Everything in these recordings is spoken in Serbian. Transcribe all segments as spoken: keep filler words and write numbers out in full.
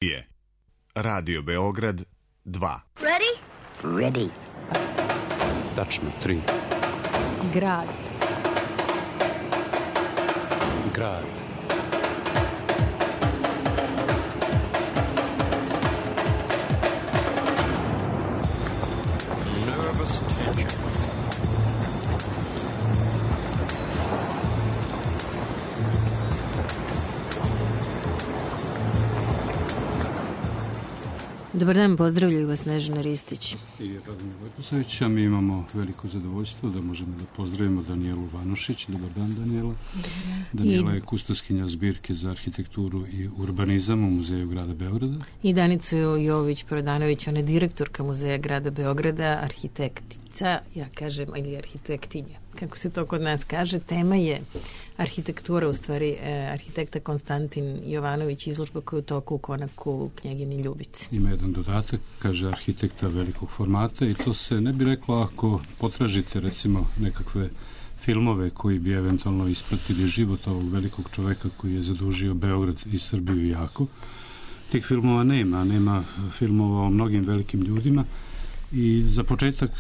je Radio Beograd dva. Ready? Ready. Tačno, tri. Grad. Grad. Nervous tension. Dobar dan, pozdravljaju vas Snežana Ristić I Radomir Vojkosavić, a mi imamo veliko zadovoljstvo da možemo da pozdravimo Danijelu Vanušić. Dobar dan, Danijela. Danijela je kustoskinja zbirke za arhitekturu i urbanizam u Muzeju grada Beograda. I Danicu Jović-Prodanović, ona je direktorka Muzeja grada Beograda, arhitektica, ja kažem, ili arhitektinja, kako se to kod nas kaže. Tema je arhitektura, u stvari eh, arhitekta Konstantin Jovanović, izložba koja je u toku u Konaku Knjegini Ljubici. Ima jedan dodatak, kaže arhitekta velikog formata, i to se ne bi reklo ako potražite recimo nekakve filmove koji bi eventualno ispratili život ovog velikog čoveka koji je zadužio Beograd i Srbiju jako. Tih filmova nema, nema filmova o mnogim velikim ljudima. I za početak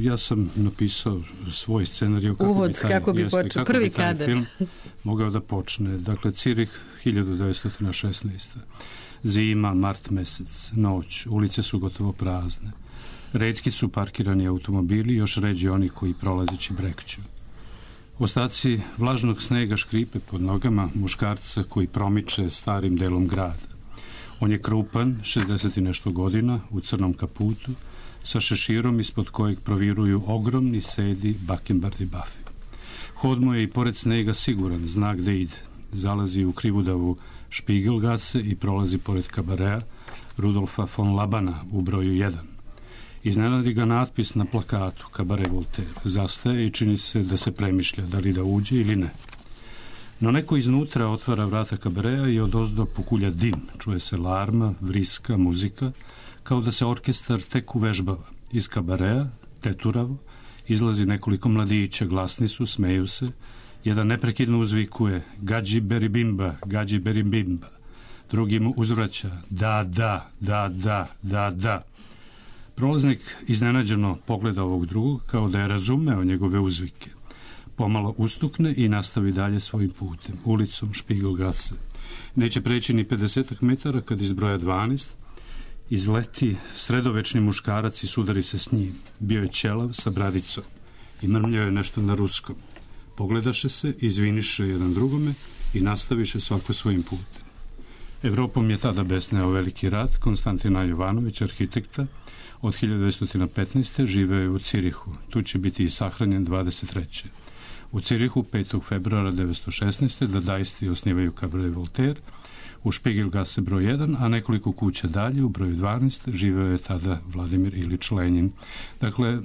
ja sam napisao svoj scenarij kako Uvod, bi taj, kako bi jeste, počeo, kako prvi bi taj kadar film mogao da počne. Dakle, Cirih hiljadu devetsto šesnaesta. Zima, mart mesec, noć, ulice su gotovo prazne. Retki su parkirani automobili, još ređi oni koji prolazeći brekću. Ostaci vlažnog snega škripe pod nogama muškarca koji promiče starim delom grada. On je krupan, šezdeset i nešto godina, u crnom kaputu, sa šeširom ispod kojeg proviruju ogromni sedi bakembardi bafi. Hod mu je i pored snega siguran, zna gde ide. Zalazi u krivudavu Špigelgase i prolazi pored kabarea Rudolfa von Labana u broju jedan. Iznenadi ga natpis na plakatu Kabare Voltaire. Zastaje i čini se da se premišlja da li da uđe ili ne. No neko iznutra otvara vrata kabarea i odozdo pokulja dim. Čuje se larma, vriska, muzika, kao da se orkestar tek uvežbava. Iz kabarea, teturavo, izlazi nekoliko mladića, glasni su, smeju se. Jedan neprekidno uzvikuje Gađi beribimba, gađi beribimba. Drugi mu uzvraća da, da, da, da, da, da. Prolaznik iznenađeno pogleda ovog drugog kao da je razumeo njegove uzvike. Pomalo ustukne i nastavi dalje svojim putem, ulicom Špigelgase. Neće preći ni pedesetak metara kad iz broja dvanaest izleti sredovečni muškarac i sudari se s njim. Bio je ćelav sa bradicom i mrmljao je nešto na ruskom. Pogledaše se, izviniše jedan drugome i nastaviše svako svojim putem. Evropom je tada besneo veliki rat. Konstantina Jovanović, arhitekta, od hiljadu devetsto petnaeste. živeo je u Cirihu. Tu će biti i sahranjen dvadeset treće U Cirihu petog februara devetsto šesnaeste. dadaisti osnivaju Kabare Voltaire u Špigelgase broj jedan, a nekoliko kuća dalje u broju dvanaest živeo je tada Vladimir Ilić Lenjin. Dakle,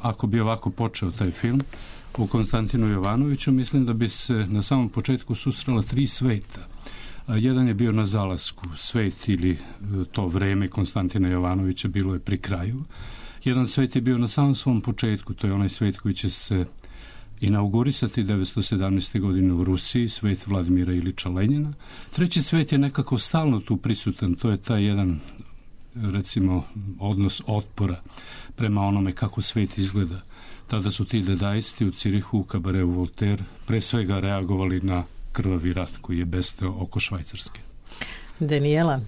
ako bi ovako počeo taj film u Konstantinu Jovanoviću, mislim da bi se na samom početku susrela tri sveta. Jedan je bio na zalasku, svet ili to vreme Konstantina Jovanovića bilo je pri kraju. Jedan svet je bio na samom svom početku, to je onaj svet koji će se inaugurisati devetsto sedamnaeste. godine u Rusiji, svet Vladimira Ilića Lenjina. Treći svet je nekako stalno tu prisutan, to je taj jedan, recimo, odnos otpora prema onome kako svet izgleda. Tada su ti dadaisti u Cirihu, u Kabareu Voltaire, pre svega reagovali na krvavi rat koji je besteo oko Švajcarske. Danijela,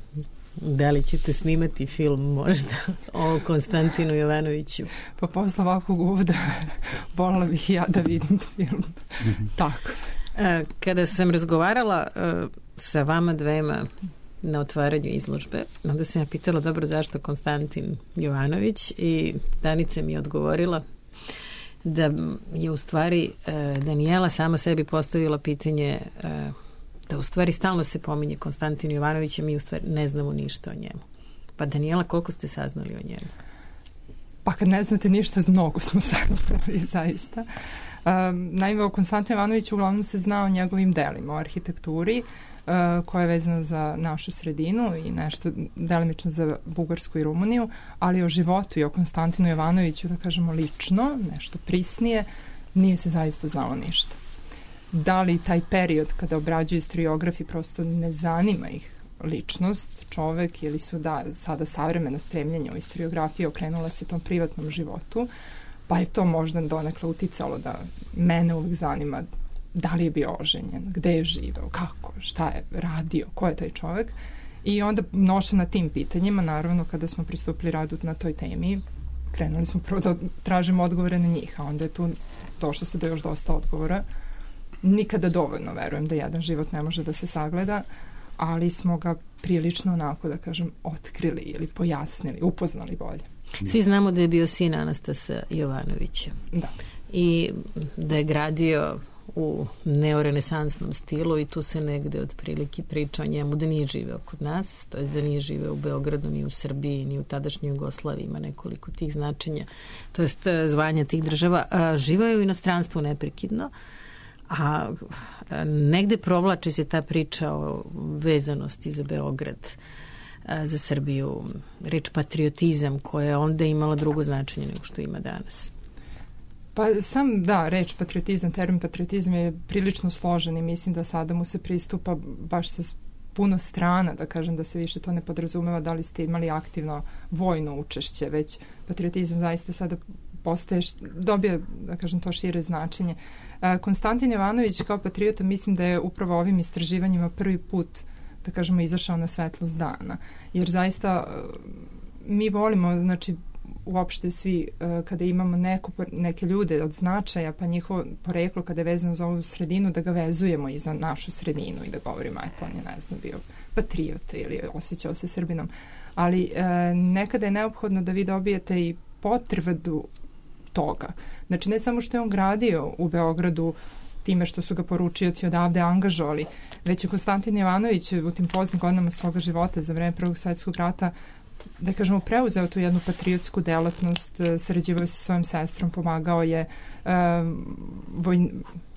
da li ćete snimati film možda o Konstantinu Jovanoviću? Pa posle ovakvog uvoda voljela bih ja da vidim film. Tako. Kada sam razgovarala sa vama dvema na otvaranju izložbe, onda sam ja pitala, dobro, zašto Konstantin Jovanović, i Danica mi je odgovorila da je u stvari Danijela sama sebi postavila pitanje da u stvari stalno se pominje Konstantin Jovanović, a mi u stvari ne znamo ništa o njemu. Pa Danijela, koliko ste saznali o njemu? Pa kad ne znate ništa, mnogo smo saznali, zaista. Um, naime, o Konstantinu Jovanoviću uglavnom se zna o njegovim delima, o arhitekturi, uh, koja je vezana za našu sredinu i nešto delimično za Bugarsku i Rumuniju, ali o životu i o Konstantinu Jovanoviću, da kažemo lično, nešto prisnije, nije se zaista znalo ništa. Da li taj period kada obrađuju historiografi prosto ne zanima ih ličnost, čovek, ili su da, sada savremena stremljenja u istoriografiji okrenula se tom privatnom životu, pa je to možda donekle uticalo da mene uvijek zanima da li je bio oženjen, gde je živeo, kako, šta je radio, ko je taj čovek. I onda nošena tim pitanjima, naravno, kada smo pristupili radu na toj temi, krenuli smo prvo da tražimo odgovore na njih, a onda je tu došlo se do još dosta odgovora. Nikada dovoljno verujem da jedan život ne može da se sagleda, ali smo ga prilično onako, da kažem, otkrili ili pojasnili, upoznali bolje. Svi znamo da je bio sin Anastasa Jovanovića. Da. I da je gradio u neorenesansnom stilu i tu se negde otprilike priča o njemu da nije živeo kod nas, to je da nije živeo u Beogradu, ni u Srbiji, ni u tadašnjoj Jugoslaviji, ima nekoliko tih značenja, to jest zvanja tih država. A, živeo je u inostranstvu neprekidno, a negde provlači se ta priča o vezanosti za Beograd, a, za Srbiju, reč patriotizam koja je onda imala drugo značenje nego što ima danas. Pa sam, da, reč patriotizam, termin patriotizam je prilično složen i mislim da sada mu se pristupa baš sa puno strana, da kažem da se više to ne podrazumeva da li ste imali aktivno vojno učešće, već patriotizam zaista sada postaje, dobije, da kažem, to šire značenje. Konstantin Jovanović kao patriota mislim da je upravo ovim istraživanjima prvi put, da kažemo, izašao na svetlost dana. Jer zaista mi volimo, znači, uopšte svi, kada imamo neko, neke ljude od značaja, pa njihovo poreklo kada je vezano za ovu sredinu, da ga vezujemo i za našu sredinu i da govorimo, eto, on je, ne znam, bio patriot ili osjećao se Srbinom. Ali e, nekada je neophodno da vi dobijete i potvrdu toga. Znači, ne samo što je on gradio u Beogradu time što su ga poručioci odavde angažovali, već je Konstantin Jovanović u tim poznim godinama svoga života za vreme Prvog svjetskog rata, da kažemo, preuzeo tu jednu patriotsku delatnost, sarađivao sa svojom sestrom, pomagao je um, voj,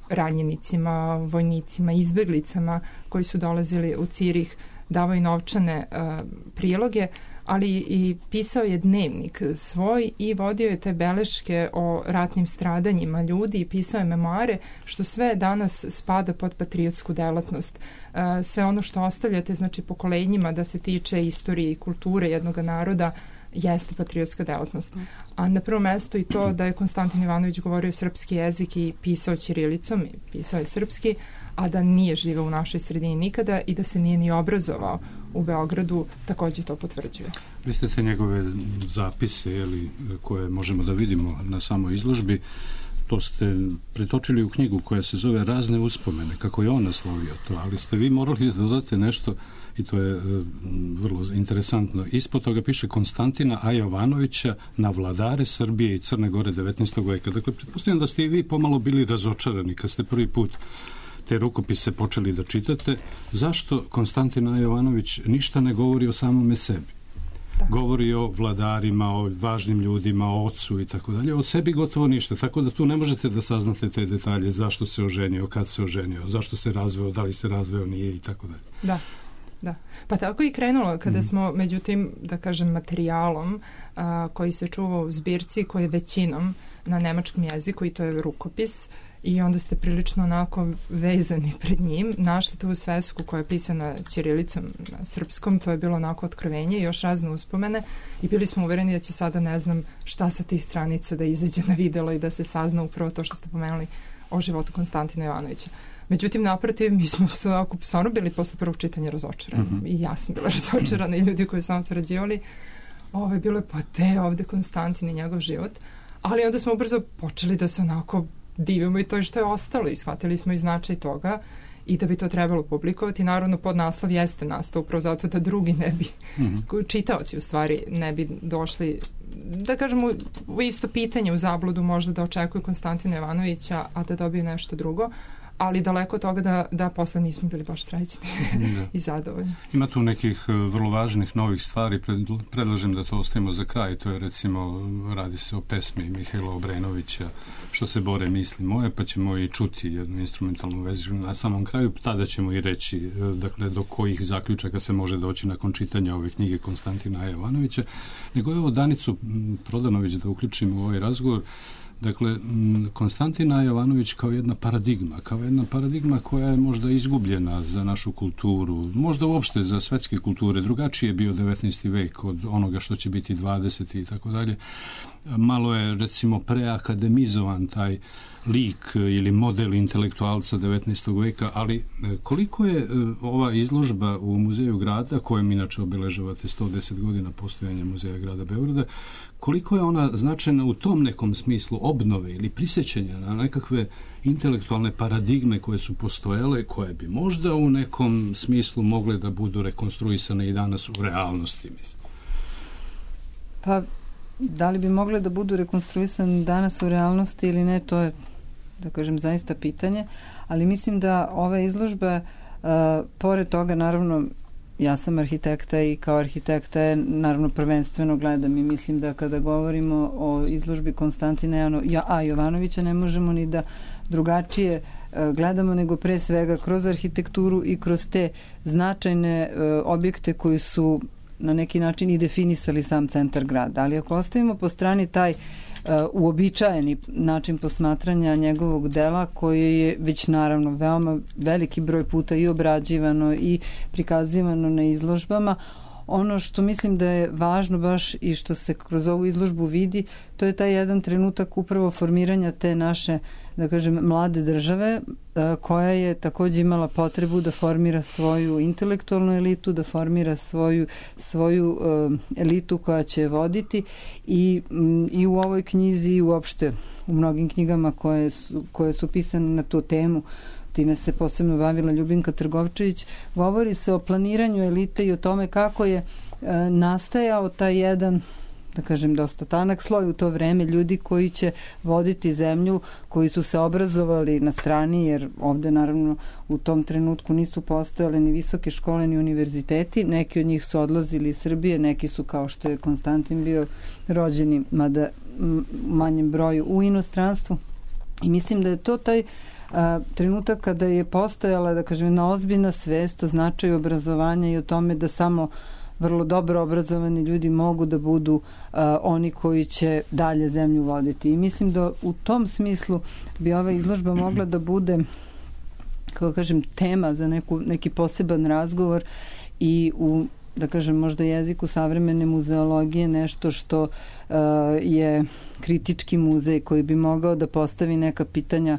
ranjenicima, vojnicima, izbeglicama koji su dolazili u Cirih, davao i novčane uh, priloge, ali i pisao je dnevnik svoj i vodio je te beleške o ratnim stradanjima ljudi i pisao je memoare, što sve danas spada pod patriotsku delatnost. Uh, sve ono što ostavljate, znači, pokolenjima da se tiče istorije i kulture jednog naroda, jeste patriotska delatnost. A na prvom mestu i to da je Konstantin Jovanović govorio srpski jezik i pisao ćirilicom, i pisao je srpski, a da nije živeo u našoj sredini nikada i da se nije ni obrazovao u Beogradu, takođe to potvrđuje. Vi ste te njegove zapise, jeli, koje možemo da vidimo na samoj izložbi, to ste pretočili u knjigu koja se zove Razne uspomene, kako je on naslovio to, ali ste vi morali da dodate nešto, i to je e, vrlo interesantno. Ispod toga piše Konstantina A. Jovanovića na vladare Srbije i Crne Gore devetnaestog veka. Dakle, pretpostavljam da ste i vi pomalo bili razočarani kad ste prvi put te rukopise počeli da čitate. Zašto Konstantin A. Jovanović ništa ne govori o samome sebi? Da. Govori o vladarima, o važnim ljudima, o ocu i tako dalje. O sebi gotovo ništa, tako da tu ne možete da saznate te detalje, zašto se oženio, kad se oženio, zašto se razveo, da li se razveo, nije i tako dalje. Da. Da. Pa tako i krenulo kada mm. smo, međutim, da kažem, materijalom a, koji se čuva u zbirci, koji je većinom na nemačkom jeziku i to je rukopis, i onda ste prilično onako vezani pred njim, našli tu svesku koja je pisana ćirilicom na srpskom, to je bilo onako otkrovenje i još razne uspomene i bili smo uvereni da će sada, ne znam, šta sa tih stranica da izađe na videlo i da se sazna upravo to što ste pomenuli o životu Konstantina Jovanovića. Međutim, naprotiv, mi smo stvarno bili posle prvog čitanja razočarani. Mm-hmm. I ja sam bila razočarana i ljudi koji su nam sarađivali. Ovo je bilo pa te ovde Konstantin i njegov život. Ali onda smo ubrzo počeli da se onako divimo i to što je ostalo i shvatili smo i značaj toga i da bi to trebalo publikovati. Naravno, podnaslov jeste nastao upravo zato da drugi ne bi, mm-hmm. čitaoci u stvari ne bi došli, da kažemo, u isto pitanje u zabludu možda da očekuju Konstantina Jovanovića, a da dobiju nešto drugo. Ali daleko od toga da, da posle nismo bili baš srećni i zadovoljni. Ima tu nekih vrlo važnih novih stvari, predlažem da to ostavimo za kraj, to je recimo, radi se o pesmi Mihajla Obrenovića, Što se bore misli moje, pa ćemo i čuti jednu instrumentalnu verziju na samom kraju, tada ćemo i reći, dakle, do kojih zaključaka se može doći nakon čitanja ove knjige Konstantina Jovanovića. Nego evo Danicu Prodanović da uključimo u ovaj razgovor. Dakle, Konstantina Jovanović kao jedna paradigma, kao jedna paradigma koja je možda izgubljena za našu kulturu, možda uopšte za svetske kulture. Drugačije je bio devetnaesti vek od onoga što će biti dvadeseti i tako dalje. Malo je, recimo, preakademizovan taj lik ili model intelektualca devetnaestog veka, ali koliko je ova izložba u Muzeju grada, kojem inače obeležavate sto deset godina postojanja Muzeja grada Beograda, koliko je ona značajna u tom nekom smislu obnove ili prisjećanja na nekakve intelektualne paradigme koje su postojale, koje bi možda u nekom smislu mogle da budu rekonstruisane i danas u realnosti, mislim? Pa, da li bi mogle da budu rekonstruisane danas u realnosti ili ne, to je, da kažem, zaista pitanje, ali mislim da ova izložba, uh, pored toga, naravno, ja sam arhitekta i kao arhitekta je naravno prvenstveno gledam i mislim da kada govorimo o izložbi Konstantina A. Jovanovića ne možemo ni da drugačije gledamo nego pre svega kroz arhitekturu i kroz te značajne objekte koji su na neki način i definisali sam centar grada. Ali ako ostavimo po strani taj uobičajeni način posmatranja njegovog dela koji je već naravno veoma veliki broj puta i obrađivano i prikazivano na izložbama, ono što mislim da je važno baš i što se kroz ovu izložbu vidi, to je taj jedan trenutak upravo formiranja te naše, da kažem, mlade države koja je takođe imala potrebu da formira svoju intelektualnu elitu, da formira svoju, svoju elitu koja će je voditi i, i u ovoj knjizi i uopšte u mnogim knjigama koje su, koje su pisane na tu temu, time se posebno bavila Ljubinka Trgovčević, govori se o planiranju elite i o tome kako je e, nastajao taj jedan, da kažem, dosta tanak sloj u to vreme ljudi koji će voditi zemlju, koji su se obrazovali na strani, jer ovde naravno u tom trenutku nisu postojale ni visoke škole ni univerziteti, neki od njih su odlazili iz Srbije, neki su, kao što je Konstantin bio, rođeni, mada u manjem broju, u inostranstvu. I mislim da je to taj a, trenutak kada je postojala, da kažem, jedna ozbiljna svest o značaju obrazovanja i o tome da samo vrlo dobro obrazovani ljudi mogu da budu uh, oni koji će dalje zemlju voditi. I mislim da u tom smislu bi ova izložba mogla da bude, kako kažem, tema za neku, neki poseban razgovor i u, da kažem, možda jeziku savremene muzeologije nešto što uh, je kritički muzej koji bi mogao da postavi neka pitanja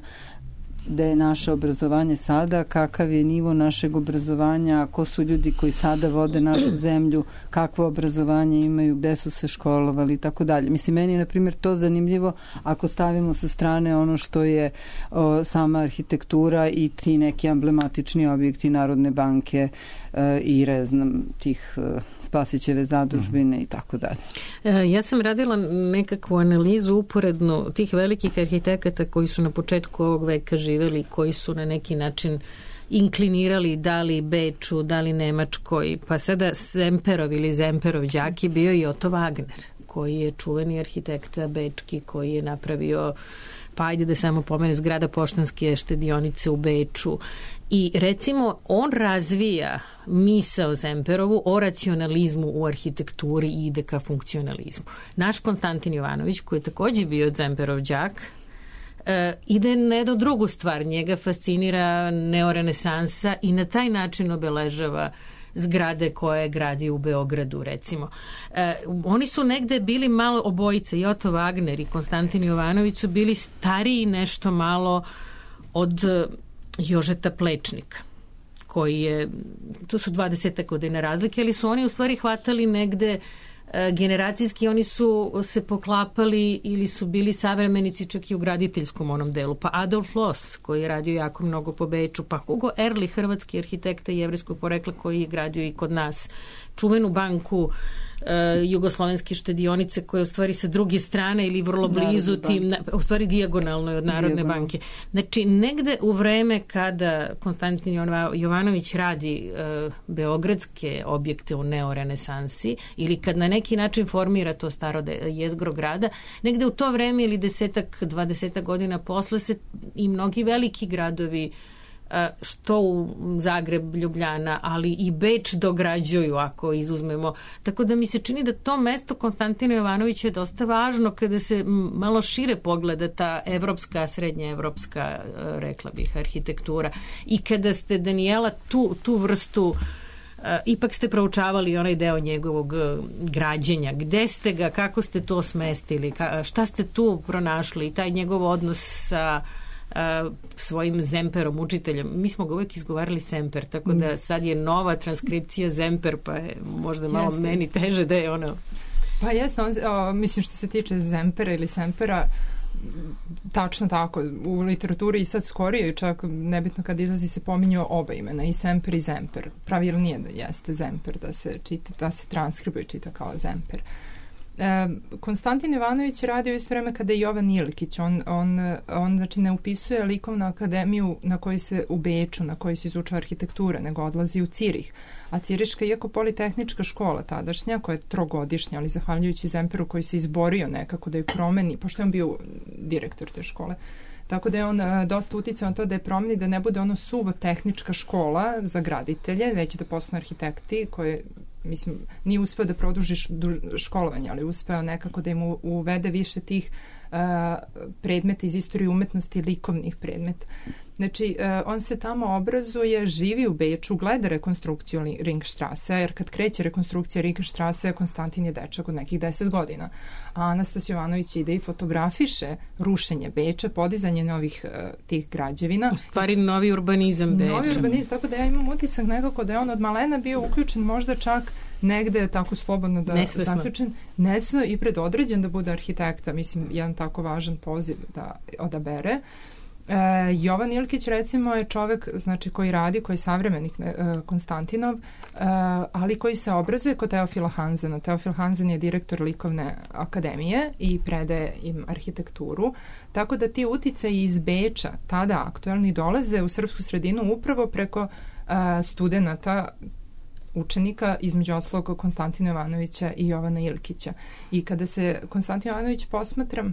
da je naše obrazovanje sada, kakav je nivo našeg obrazovanja, ko su ljudi koji sada vode našu zemlju, kakvo obrazovanje imaju, gde su se školovali i tako dalje. Mislim, meni je, na primjer, to zanimljivo ako stavimo sa strane ono što je o, sama arhitektura i ti neki emblematični objekti Narodne banke e, i reznam tih e, Spasićeve zadužbine i tako dalje. E, ja sam radila nekakvu analizu uporednu tih velikih arhitekata koji su na početku ovog veka živeli, koji su na neki način inklinirali da li Beču, da li Nemačkoj, pa sada Zemperov ili Zemperov đak je bio i Otto Wagner, koji je čuveni arhitekta bečki, koji je napravio, pa ajde da samo pomene, zgrada Poštanske štedionice u Beču. I recimo on razvija misao Zemperovu o racionalizmu u arhitekturi i ide ka funkcionalizmu. Naš Konstantin Jovanović, koji je takođe bio Zemperov đak, Uh, ide na jednu drugu stvar. Njega fascinira neorenesansa i na taj način obeležava zgrade koje je gradio u Beogradu, recimo. Uh, oni su negde bili malo obojice, i Otto Wagner i Konstantin Jovanović su bili stariji nešto malo od Jožeta Plečnika, koji je, tu su dvadeset godina razlike, ali su oni u stvari hvatali negde generacijski, oni su se poklapali ili su bili savremenici čak i u graditeljskom onom delu. Pa Adolf Loos, koji je radio jako mnogo po Beču, pa Hugo Ehrlich, hrvatski arhitekta jevrejskog porekla koji je gradio i kod nas čuvenu banku uh, jugoslovenske štedionice koja je u stvari sa druge strane ili vrlo blizu Narodne tim, na, u stvari dijagonalno je od Narodne Dijagonal. banke. Znači, negde u vreme kada Konstantin Jovanović radi uh, beogradske objekte u neorenesansi ili kad na neki način formira to staro jezgro grada, negde u to vreme ili desetak, dvadesetak godina posle se i mnogi veliki gradovi što u Zagreb, Ljubljana, ali i Beč dograđuju, ako izuzmemo. Tako da mi se čini da to mesto Konstantina Jovanovića je dosta važno kada se malo šire pogleda ta evropska, srednja evropska, rekla bih, arhitektura. I kada ste, Danijela, tu, tu vrstu Uh, ipak ste proučavali onaj deo njegovog uh, građenja. Gde ste ga, kako ste to smestili, ka, šta ste tu pronašli, taj njegov odnos sa uh, svojim Zemperom, učiteljem. Mi smo ga uvijek izgovarali Semper, tako da sad je nova transkripcija Zemper, pa je možda malo jeste, meni teže da je ono... Pa jesno, on, o, mislim što se tiče Zempera ili Sempera, tačno tako, u literaturi i sad skorije, čak nebitno kad izlazi se pominju oba imena, i Semper i Zemper. Pravilnije da jeste Zemper, da se čita, da se transkribuje čita kao Zemper. E, Konstantin Jovanović radio isto vreme kada je Jovan Ilkić. On, on, on znači ne upisuje likovnu akademiju na kojoj se u Beču, na kojoj se izučava arhitektura, nego odlazi u Cirih. A Ciriška, iako politehnička škola tadašnja, koja je trogodišnja, ali zahvaljujući Zemperu koji se izborio nekako da je promeni, pošto je on bio direktor te škole, tako da je on a, dosta uticao na to da je promeni, da ne bude ono suvo tehnička škola za graditelje, već da postanu arhitekti koje, mislim, nije uspeo da produži školovanje, ali uspeo nekako da im uvede više tih uh, predmeta iz istorije umetnosti i likovnih predmeta. Znači, uh, on se tamo obrazuje, živi u Beču, gleda rekonstrukciju Ringstrasse, jer kad kreće rekonstrukcija Ringstrasse, Konstantin je dečak od nekih deset godina. A Anastas Jovanović ide i fotografiše rušenje Beča, podizanje novih uh, tih građevina. U stvari novi urbanizam Beča. Novi urbanizam, tako da ja imam utisak nekako da je on od malena bio uključen možda čak negde tako slobodno da zaključen, nesno i predodređen da bude arhitekta, mislim, jedan tako važan poziv da odabere. E, Jovan Ilkić, recimo, je čovek, znači, koji radi, koji je savremenik e, Konstantinov, e, ali koji se obrazuje kod Teofila Hanzena. Teofil Hanzen je direktor likovne akademije i predaje im arhitekturu, tako da ti uticaji iz Beča, tada aktuelni, dolaze u srpsku sredinu upravo preko e, studenata, učenika, između ostalog Konstantina Jovanovića i Jovana Ilkića. I kada se Konstantin Jovanović posmatra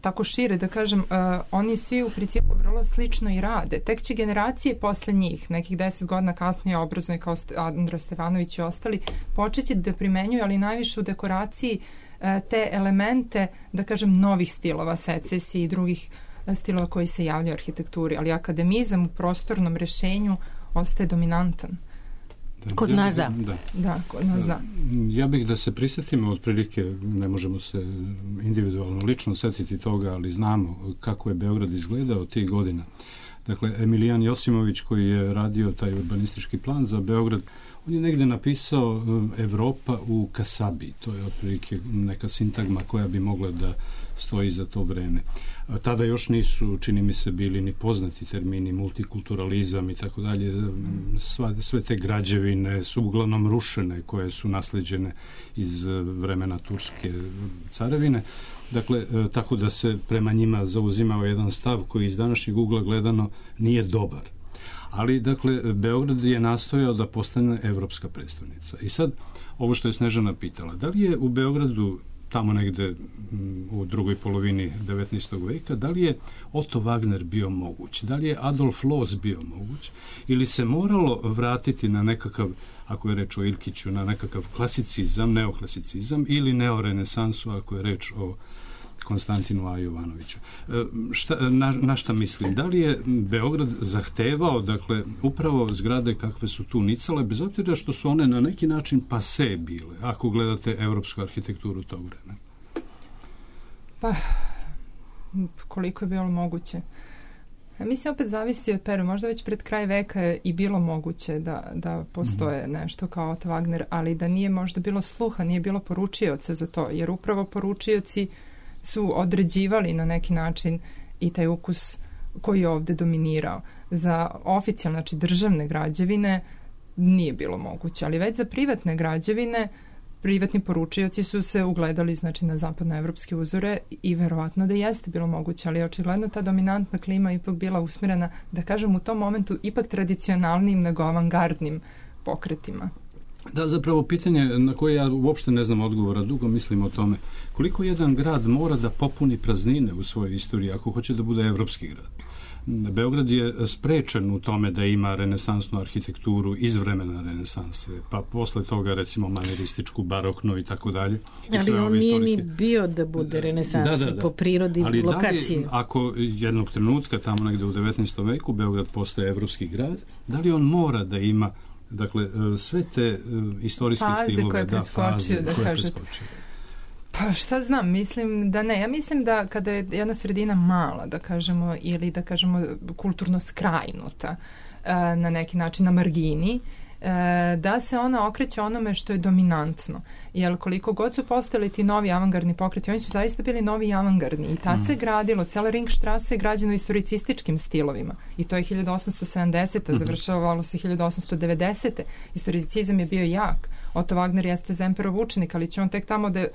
tako šire, da kažem, uh, oni svi u principu vrlo slično i rade. Tek će generacije posle njih, nekih deset godina kasnije obrazovani kao Andra Stevanović i ostali, počeće da primenjuju, ali najviše u dekoraciji uh, te elemente, da kažem, novih stilova, secesije i drugih uh, stilova koji se javljaju u arhitekturi. Ali akademizam u prostornom rešenju ostaje dominantan. Da, kod ja, nas da. da. Da, kod nas da. Ja bih da se prisjetimo otprilike, ne možemo se individualno lično setiti toga, ali znamo kako je Beograd izgledao tih godina. Dakle, Emilijan Josimović, koji je radio taj urbanistički plan za Beograd, on je negde napisao Evropa u Kasabi. To je otprilike neka sintagma koja bi mogla da stoji za to vreme. A tada još nisu, čini mi se, bili ni poznati termini multikulturalizam i tako dalje. Sve te građevine su uglavnom rušene, koje su nasleđene iz vremena Turske carevine. Dakle, tako da se prema njima zauzimao jedan stav koji iz današnjeg ugla gledano nije dobar. Ali, dakle, Beograd je nastojao da postane evropska prestolnica. I sad, ovo što je Snežana pitala, da li je u Beogradu tamo negde u drugoj polovini devetnaestog veka, da li je Otto Wagner bio moguć, da li je Adolf Loos bio moguć, ili se moralo vratiti na nekakav, ako je reč o Ilkiću, na nekakav klasicizam, neoklasicizam, ili neorenesansu, ako je reč o Konstantinu A. Jovanoviću. Šta, na, na šta mislim? Da li je Beograd zahtevao, dakle, upravo zgrade kakve su tu nicale, bez obzira što su one na neki način pase bile, ako gledate evropsku arhitekturu tog vremena? Pa, koliko je bilo moguće? Mislim, opet zavisi od perioda. Možda već pred kraj veka je i bilo moguće da, da postoje mm-hmm. nešto kao Otto Wagner, ali da nije možda bilo sluha, nije bilo poručioca za to, jer upravo poručioci su određivali na neki način i taj ukus koji je ovde dominirao. Za oficijalne, znači državne građevine nije bilo moguće, ali već za privatne građevine privatni poručioci su se ugledali, znači, na zapadnoevropske uzore i verovatno da jeste bilo moguće, ali očigledno ta dominantna klima ipak bila usmjerena, da kažem, u tom momentu ipak tradicionalnim nego avangardnim pokretima. Da, zapravo pitanje na koje ja uopšte ne znam odgovora, dugo mislim o tome. Koliko jedan grad mora da popuni praznine u svojoj istoriji ako hoće da bude evropski grad? Beograd je sprečen u tome da ima renesansnu arhitekturu iz vremena renesanse, pa posle toga recimo manirističku, baroknu i tako dalje. Ali on nije ni bio da bude renesansni da, da, da. po prirodi ali lokacije. Ali ako jednog trenutka tamo negde u devetnaestom veku Beograd postaje evropski grad, da li on mora da ima dakle sve te istorijske faze stilove, koje je preskočio, da, faze da koje kažete. preskočio. Pa šta znam, mislim da ne. Ja mislim da kada je jedna sredina mala, da kažemo, ili da kažemo kulturno skrajnuta na neki način na margini, da se ona okreće onome što je dominantno. Jer koliko god su postali ti novi avangardni pokreti, oni su zaista bili novi avangardni i tad mm. se gradilo, cela Ringstrasse je građena u historicističkim stilovima i to je hiljadu osamsto sedamdesete. Mm-hmm. završavalo se hiljadu osamsto devedesete. Historicizam je bio jak. Otto Wagner jeste Zemperov učenik, ali će on tek tamo da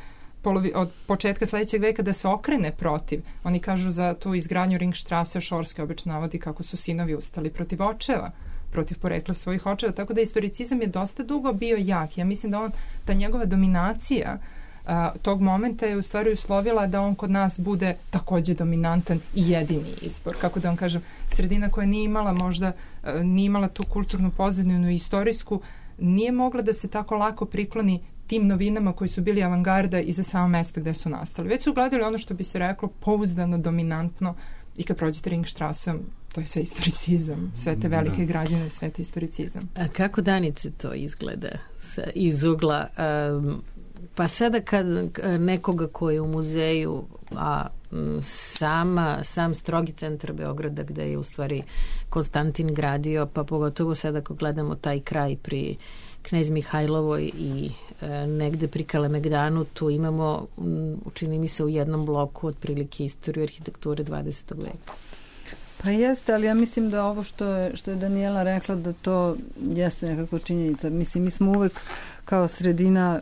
polovi, od početka sledećeg veka da se okrene protiv. Oni kažu za tu izgradnju Ringstrasse, Šorski obično navodi kako su sinovi ustali protiv očeva, protiv porekla svojih očeva, tako da historicizam je dosta dugo bio jak. Ja mislim da on, ta njegova dominacija a, tog momenta je u stvari uslovila da on kod nas bude takođe dominantan i jedini izbor. Kako da vam kažem, sredina koja nije imala možda, a, nije imala tu kulturnu pozadinu i istorijsku, nije mogla da se tako lako prikloni tim novinama koji su bili avangarda i za samo mesta gde su nastali. Već su gledali ono što bi se reklo pouzdano, dominantno i kad prođete Ringstrassom, to je sve historicizam, sve te velike da. građane, sve te historicizam. A kako Danice to izgleda iz ugla? Um, pa sada kad nekoga ko je u muzeju, a sama, sam strogi centar Beograda gde je u stvari Konstantin gradio, pa pogotovo sada ako gledamo taj kraj pri Knez Mihajlovoj i e, negde pri Kalemegdanu, tu imamo, učini mi se u jednom bloku otprilike istoriju arhitekture dvadesetog veka. Pa jeste, ali ja mislim da ovo što je, što je Danijela rekla da to jeste nekako činjenica. Mislim, mi smo uvek kao sredina,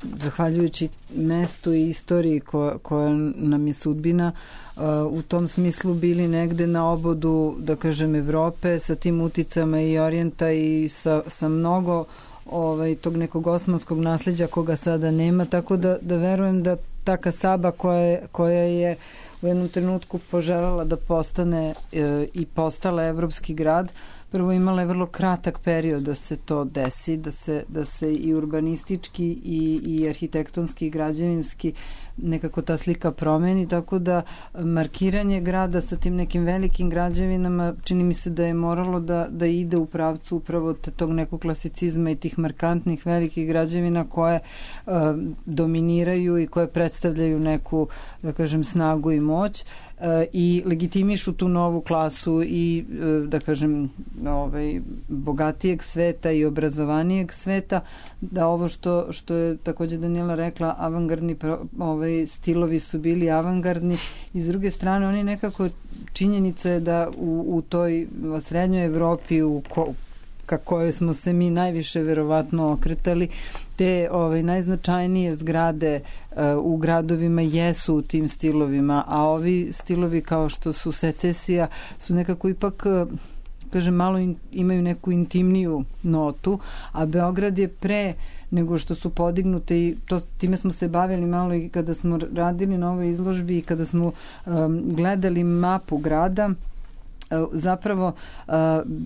zahvaljujući mestu i istoriji koja, koja nam je sudbina, uh, u tom smislu bili negde na obodu, da kažem, Evrope sa tim uticama i Orijenta i sa, sa mnogo ovaj, tog nekog osmanskog nasleđa koga sada nema, tako da, da verujem da ta kasaba koja je, koja je u jednom trenutku poželjela da postane e, i postala evropski grad, prvo imala je vrlo kratak period da se to desi, da se, da se i urbanistički i, i arhitektonski i građevinski nekako ta slika promeni, tako da markiranje grada sa tim nekim velikim građevinama čini mi se da je moralo da, da ide u pravcu upravo te, tog nekog klasicizma i tih markantnih velikih građevina koje uh, dominiraju i koje predstavljaju neku, da kažem, snagu i moć uh, i legitimišu tu novu klasu i, uh, da kažem, ovaj, bogatijeg sveta i obrazovanijeg sveta, da ovo što, što je takođe Danijela rekla, avangardni pro, ovaj, stilovi su bili avangardni i s druge strane oni nekako činjenica je da u, u toj srednjoj Evropi u ko, ka kojoj smo se mi najviše verovatno okretali, te ovaj, najznačajnije zgrade uh, u gradovima jesu u tim stilovima, a ovi stilovi kao što su secesija su nekako ipak uh, kažem, malo in, imaju neku intimniju notu, a Beograd je pre nego što su podignute i to, time smo se bavili malo i kada smo radili na ovoj izložbi i kada smo um, gledali mapu grada, uh, zapravo uh,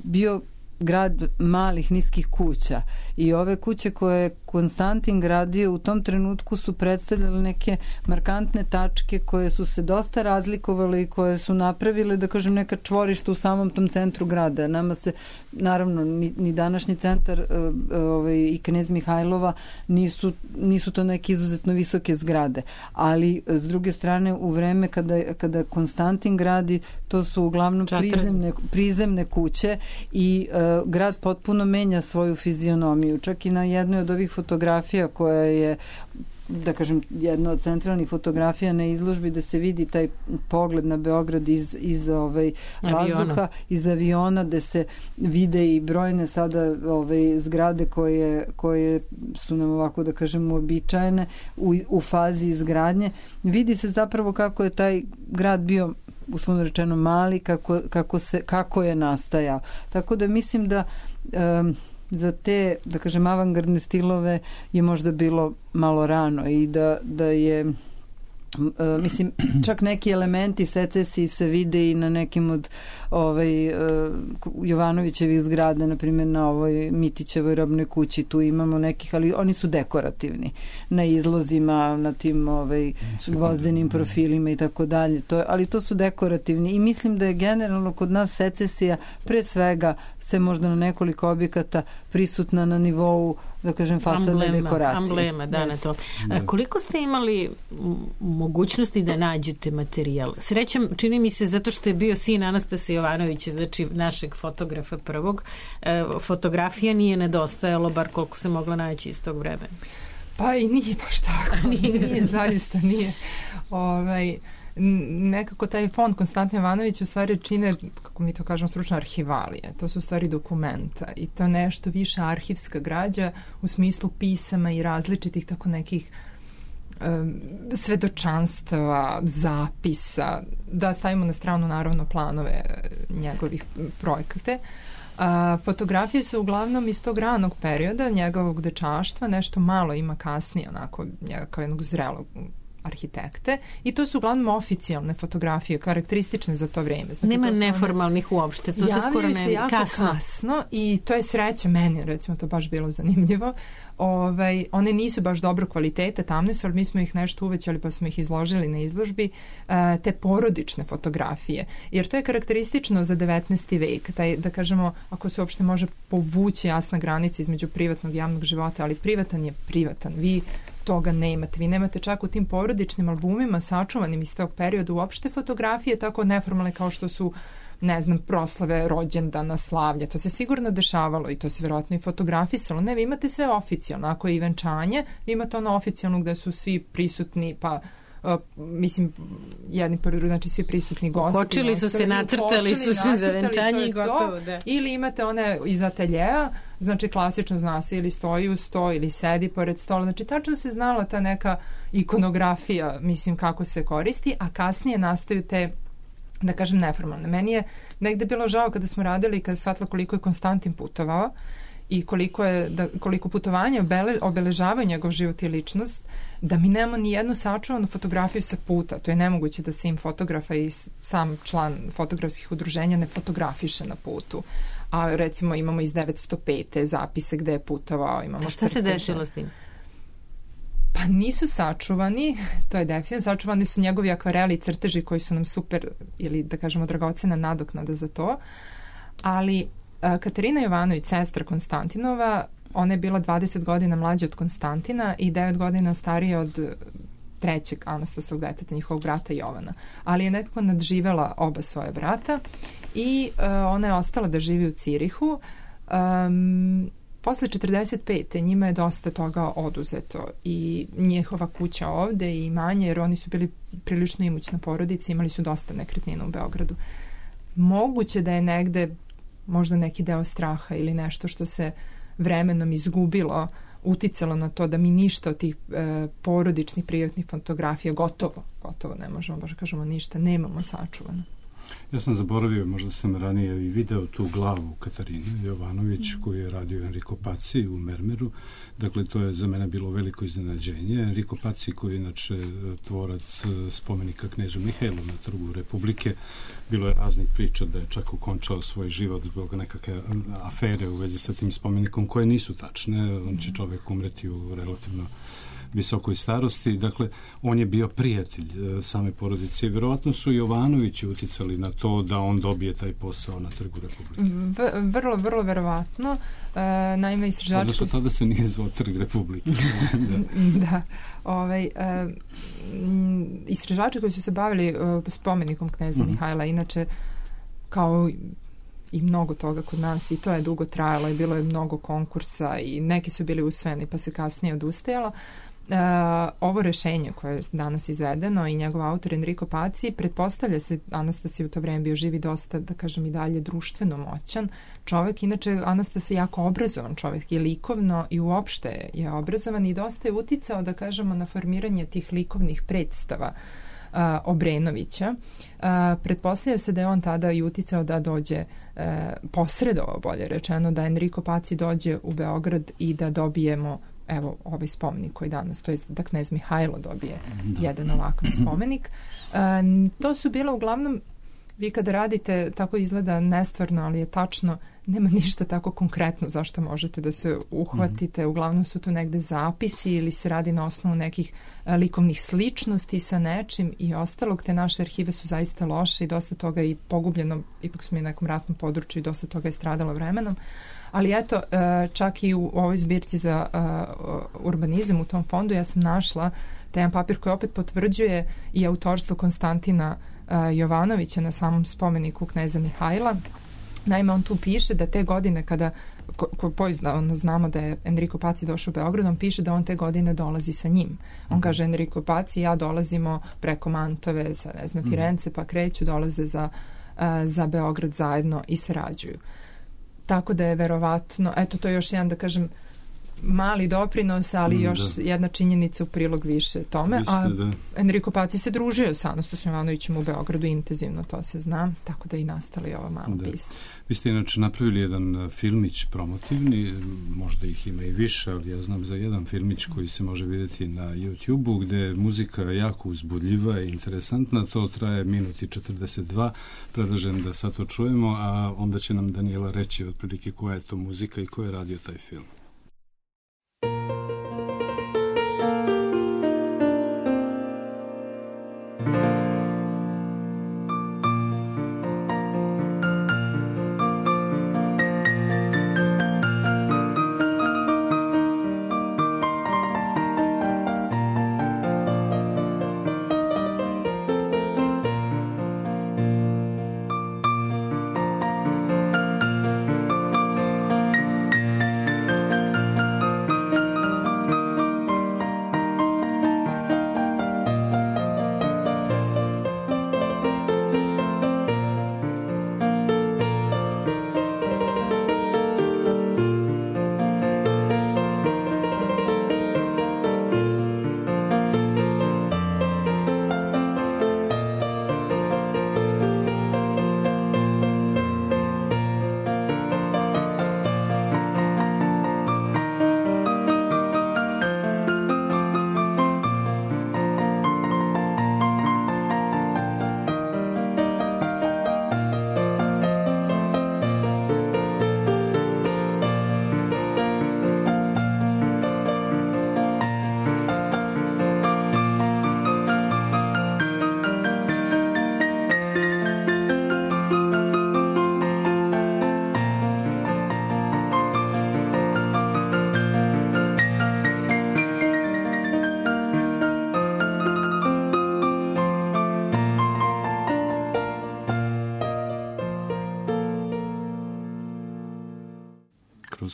bio grad malih niskih kuća i ove kuće koje je Konstantin gradio u tom trenutku su predstavljale neke markantne tačke koje su se dosta razlikovale i koje su napravile, da kažem, neka čvorišta u samom tom centru grada. Nama se, naravno, ni, ni današnji centar ovaj, i Knez Mihajlova nisu, nisu to neke izuzetno visoke zgrade, ali s druge strane u vreme kada, kada Konstantin gradi, to su uglavnom prizemne, prizemne kuće i uh, grad potpuno menja svoju fizionomiju. Čak i na jednoj od ovih fotografija koja je, da kažem, jedna od centralnih fotografija na izložbi da se vidi taj pogled na Beograd iz, iz ovaj, vazduha, iz aviona, da se vide i brojne sada ovaj, zgrade koje, koje su nam ovako, da kažem, uobičajene u, u fazi izgradnje. Vidi se zapravo kako je taj grad bio uslovno rečeno mali, kako, kako, se, kako je nastajao. Tako da mislim da um, za te, da kažem, avangardne stilove je možda bilo malo rano i da, da je Uh, mislim, čak neki elementi secesiji se vide i na nekim od ovaj, uh, Jovanovićevih zgrada, na primjer na ovoj Mitićevoj robnoj kući, tu imamo nekih, ali oni su dekorativni na izlozima, na tim ovaj, gvozdenim profilima i tako dalje, to, ali to su dekorativni i mislim da je generalno kod nas secesija pre svega se možda na nekoliko objekata prisutna na nivou, da kažem, fasadne dekoracije. Amblema, da, yes. na to. A, koliko ste imali mogućnosti da nađete materijal? Srećem, čini mi se, zato što je bio sin Anastasa Jovanovića, znači našeg fotografa prvog, e, fotografija nije nedostajalo, bar koliko se mogla naći iz tog vremena. Pa i nije baš tako. nije, nije, zaista nije. Ovaj, nekako taj fond Konstantin Jovanović u stvari čine, kako mi to kažemo stručno, arhivalije. To su u stvari dokumenta i to nešto više arhivska građa u smislu pisama i različitih tako nekih um, svedočanstava, zapisa, da stavimo na stranu naravno planove njegovih projekate. A, fotografije su uglavnom iz tog ranog perioda njegovog dečaštva, nešto malo ima kasnije onako njega kao jednog zrelog arhitekte i to su uglavnom oficijalne fotografije karakteristične za to vreme. Znači, nema to neformalnih one, uopšte, to se skoro ne se jako kasno. kasno i to je sreća meni, recimo to baš bilo zanimljivo. Ovaj, one nisu baš dobro kvalitete, tamne su, ali mi smo ih nešto uvećali pa smo ih izložili na izložbi, uh, te porodične fotografije, jer to je karakteristično za devetnaesti vek, taj, da kažemo, ako se uopšte može povući jasna granica između privatnog i javnog života, ali privatan je privatan, vi toga nemate. Vi nemate čak u tim porodičnim albumima sačuvanim iz tog perioda uopšte fotografije tako neformalne kao što su, ne znam, proslave rođendana, slavlja. To se sigurno dešavalo i to se vjerojatno i fotografisalo. Ne, vi imate sve oficijalno. Ako je i venčanje, vi imate ono oficijalno gde su svi prisutni, pa Uh, mislim, jedni pored drugih, znači svi prisutni gosti. Kočili su se, nacrtali su se za venčanje i gotovo, da. Ili imate one iz ateljeja, znači klasično zna se ili stoji u sto ili sedi pored stola, znači tačno se znala ta neka ikonografija, mislim, kako se koristi, a kasnije nastaju te, da kažem, neformalne. Meni je negde bilo žao kada smo radili, kada shvatila koliko je Konstantin putovao i koliko, je, da, koliko putovanja obele, obeležavaju njegov život i ličnost, da mi nemamo ni jednu sačuvanu fotografiju sa puta. To je nemoguće da se im fotografa i sam član fotografskih udruženja ne fotografiše na putu. A recimo imamo iz devetsto pete zapise gde je putovao. Imamo šta se desilo s tim? Pa nisu sačuvani, to je definitivno. Sačuvani su njegovi akvareli i crteži koji su nam super, ili da kažemo dragocena nadoknada za to. Ali Katarina Jovanović, sestra Konstantinova, ona je bila dvadeset godina mlađa od Konstantina i devet godina starija od trećeg Anastasovog deteta, njihovog brata Jovana. Ali je nekako nadživela oba svoje brata i uh, ona je ostala da živi u Cirihu. Um, posle četrdeset pete njima je dosta toga oduzeto i njihova kuća ovde i imanje, jer oni su bili prilično imućna porodica, imali su dosta nekretnina u Beogradu. Moguće da je negde možda neki deo straha ili nešto što se vremenom izgubilo, uticalo na to da mi ništa od tih e, porodičnih privatnih fotografija gotovo, gotovo ne možemo, baš kažemo ništa, nemamo sačuvano. Ja sam zaboravio, možda sam ranije i video tu glavu Katarine Jovanović mm. koju je radio Enrico Pazzi u Mermeru. Dakle, to je za mene bilo veliko iznenađenje. Enrico Pazzi, koji je inače tvorac spomenika knežu Mihajlu na Trgu Republike, bilo je raznih priča da je čak ukončao svoj život zbog nekakve afere u vezi sa tim spomenikom koje nisu tačne. On će čovek umreti u relativno visokoj starosti. Dakle, on je bio prijatelj e, same porodice i vjerovatno su Jovanovići uticali na to da on dobije taj posao na Trgu Republike. V, vrlo, vrlo verovatno. E, naime, istraživači... Odnosno, tada se nije zvao Trg Republike. da. da. Ovaj, e, istraživači koji su se bavili e, spomenikom kneza mm. Mihajla, inače, kao i mnogo toga kod nas, i to je dugo trajalo i bilo je mnogo konkursa i neki su bili usvojeni pa se kasnije odustajalo. Uh, ovo rešenje koje je danas izvedeno i njegov autor Enrico Pazzi, pretpostavlja se, Anastasije u to vreme bio živi dosta, da kažem i dalje, društveno moćan čovek. Inače, Anastasije je jako obrazovan čovek i likovno i uopšte je obrazovan i dosta je uticao, da kažemo, na formiranje tih likovnih predstava uh, Obrenovića. Uh, pretpostavlja se da je on tada i uticao da dođe uh, posredovao, bolje rečeno, da Enrico Pazzi dođe u Beograd i da dobijemo evo ovaj spomenik koji danas, to je da knez Mihajlo dobije da. jedan ovakav spomenik. E, to su bilo uglavnom, vi kada radite, tako izgleda nestvarno, ali je tačno, nema ništa tako konkretno zašto možete da se uhvatite. Uglavnom su to negde zapisi ili se radi na osnovu nekih a, likovnih sličnosti sa nečim i ostalog. Te naše arhive su zaista loše i dosta toga i pogubljeno, ipak smo i na nekom ratnom području i dosta toga je stradalo vremenom. Ali eto, čak i u ovoj zbirci za urbanizam u tom fondu ja sam našla taj jedan papir koji opet potvrđuje i autorstvo Konstantina Jovanovića na samom spomeniku kneza Mihajla. Naime, on tu piše da te godine kada ko, ko poizdavno znamo da je Enrico Paci došao u Beograd, on piše da on te godine dolazi sa njim. On kaže Enrico Paci i ja dolazimo preko Mantove, sa ne znam, Firence, pa kreću, dolaze za, za Beograd zajedno i sarađuju. Tako da je verovatno, eto to je još jedan, da kažem, mali doprinos, ali mm, još da. jedna činjenica u prilog više tome. Viste, a da. Enrico Paci se družio sa Anastasom Jovanovićem u Beogradu intenzivno, to se zna, tako da i nastali ova mala da. pista. Vi ste inače napravili jedan filmić promotivni, možda ih ima i više, ali ja znam za jedan filmić koji se može vidjeti na YouTube-u, gde je muzika jako uzbudljiva i interesantna, to traje minut i četrdeset dva, predlažem da sad to čujemo, a onda će nam Danijela reći otprilike koja je to muzika i ko je radio taj film.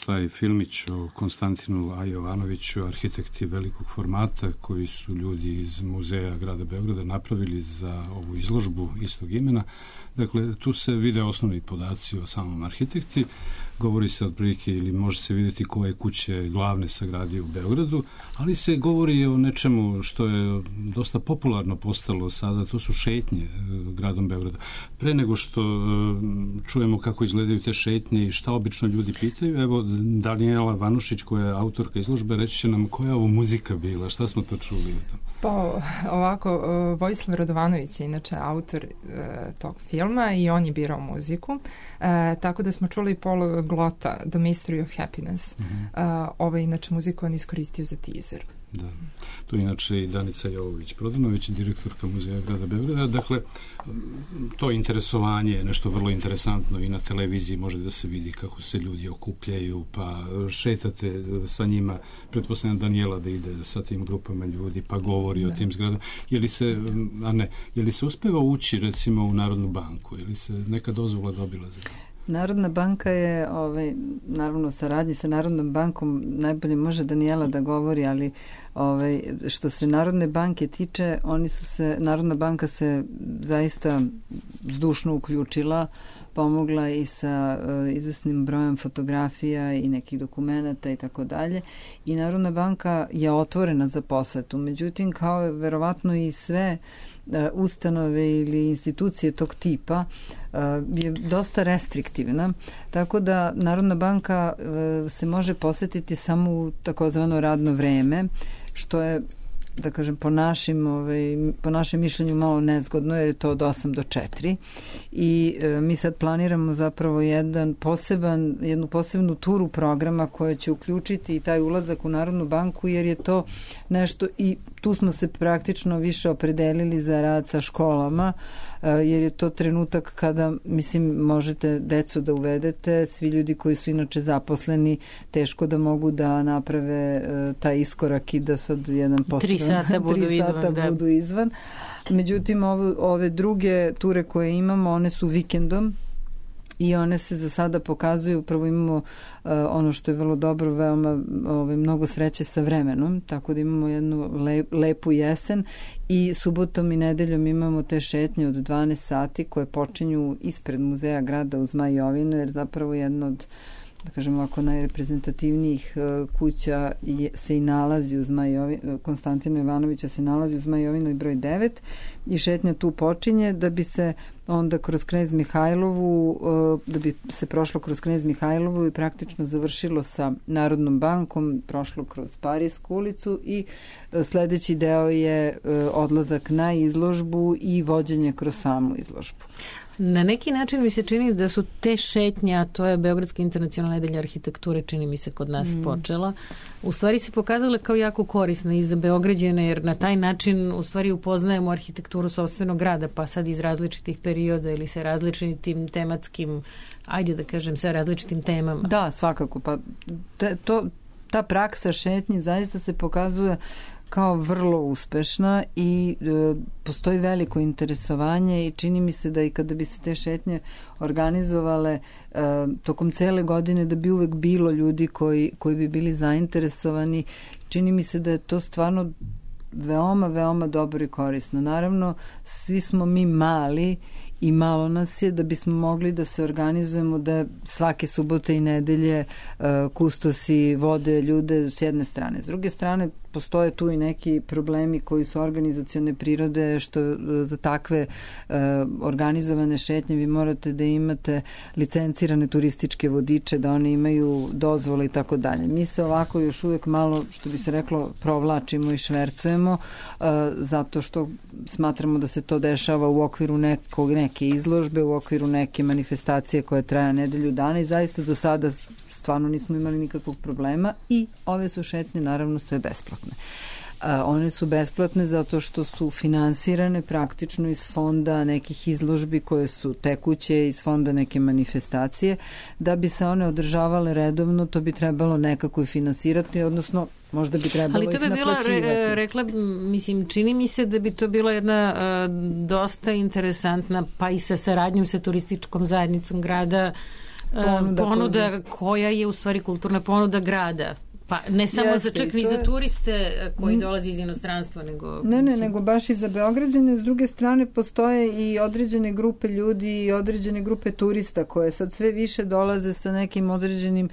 Taj filmić o Konstantinu A. Jovanoviću, arhitekti velikog formata koji su ljudi iz muzeja grada Beograda napravili za ovu izložbu istog imena. Dakle, tu se vide osnovni podaci o samom arhitekti, govori se otprilike ili može se vidjeti koje kuće glavne sagradio u Beogradu, ali se govori o nečemu što je dosta popularno postalo sada, to su šetnje gradom Beograda. Pre nego što čujemo kako izgledaju te šetnje i šta obično ljudi pitaju, evo Danijela Vanušić koja je autorka izložbe reći će nam koja je ovo muzika bila, šta smo to čuli u tom? Pa ovako, Vojislav Radovanović je inače autor e, tog filma i on je birao muziku, e, tako da smo čuli Paul Glota, The Mystery of Happiness. Mm-hmm. e, ovo je inače muziku on iskoristio za teaser. Da. Tu je inače i Danica Jovović-Prodanović, direktorka muzeja grada Beograda. Dakle, to interesovanje je nešto vrlo interesantno i na televiziji može da se vidi kako se ljudi okupljaju, pa šetate sa njima. Pretpostavljam Danijela da ide sa tim grupama ljudi, pa govori da. o tim zgradama. Je li se, a ne, je li se uspeva ući recimo u Narodnu banku? Je li se neka dozvola dobila za to? Narodna banka je, ovaj, naravno, saradnji sa Narodnom bankom najbolje može Danijela da govori, ali ovaj, što se Narodne banke tiče, oni su se, Narodna banka se zaista zdušno uključila, pomogla i sa uh, izvesnim brojem fotografija i nekih dokumenata i tako dalje. I Narodna banka je otvorena za posetu. Međutim, kao je verovatno i sve ustanove ili institucije tog tipa je dosta restriktivna, tako da Narodna banka se može posetiti samo u takozvano radno vreme, što je, da kažem, po našim, ovaj, po našem mišljenju malo nezgodno, jer je to od osam do četiri i e, mi sad planiramo zapravo jedan poseban, jednu posebnu turu programa koja će uključiti i taj ulazak u Narodnu banku, jer je to nešto i tu smo se praktično više opredelili za rad sa školama, jer je to trenutak kada, mislim, možete decu da uvedete, svi ljudi koji su inače zaposleni, teško da mogu da naprave taj iskorak i da sad jedan poseban... Tri sata budu tri izvan. Sata Da. budu izvan. Međutim, ovo, ove druge ture koje imamo, one su vikendom i one se za sada pokazuju, prvo imamo uh, ono što je vrlo dobro, veoma ove, mnogo sreće sa vremenom, tako da imamo jednu le, lepu jesen i subotom i nedeljom imamo te šetnje od dvanaest sati koje počinju ispred muzeja grada u Zmajovinu, jer zapravo jedno od, da kažem ovako, najreprezentativnijih uh, kuća je, se i nalazi u Zmajovinu, Konstantina Ivanovića se nalazi u Zmajovinu i broj devet i šetnja tu počinje da bi se onda kroz Knez Mihajlovu, da bi se prošlo kroz Knez Mihajlovu i praktično završilo sa Narodnom bankom, prošlo kroz Parijsku ulicu i sledeći deo je odlazak na izložbu i vođenje kroz samu izložbu. Na neki način mi se čini da su te šetnje, a to je Beogradska internacionalna nedelja arhitekture, čini mi se kod nas mm. počela, u stvari se pokazale kao jako korisne i za Beograđane, jer na taj način u stvari upoznajemo arhitekturu sopstvenog grada, pa sad iz različitih perioda ili sa različitim tematskim, ajde da kažem, sa različitim temama. Da, svakako. Pa te, to, ta praksa šetnji zaista se pokazuje kao vrlo uspešna i e, postoji veliko interesovanje i čini mi se da i kada bi se te šetnje organizovale e, tokom cele godine da bi uvek bilo ljudi koji, koji bi bili zainteresovani. Čini mi se da je to stvarno veoma, veoma dobro i korisno. Naravno, svi smo mi mali i malo nas je da bismo mogli da se organizujemo da svake subote i nedelje uh, kustosi vode ljude s jedne strane. S druge strane, postoje tu i neki problemi koji su organizacione prirode, što uh, za takve uh, organizovane šetnje vi morate da imate licencirane turističke vodiče, da oni imaju dozvole i tako dalje. Mi se ovako još uvek malo, što bi se reklo, provlačimo i švercujemo, uh, zato što smatramo da se to dešava u okviru nekog, neke izložbe, u okviru neke manifestacije koja traja nedelju dana i zaista do sada stvarno nismo imali nikakvog problema i ove su šetnje naravno sve besplatne. A, one su besplatne zato što su finansirane praktično iz fonda nekih izložbi koje su tekuće, iz fonda neke manifestacije. Da bi se one održavale redovno, to bi trebalo nekako i finansirati, odnosno možda bi trebalo ih naplaćivati. Ali to bi bila, re, rekla, mislim, čini mi se da bi to bila jedna uh, dosta interesantna, pa i sa saradnjom sa turističkom zajednicom grada, uh, ponuda, ponuda koja je u stvari kulturna ponuda grada. Pa ne samo Jeste, za čak ni za turiste koji dolaze iz inostranstva, nego... Ne, ne, nego baš i za Beograđane. S druge strane postoje i određene grupe ljudi i određene grupe turista koje sad sve više dolaze sa nekim određenim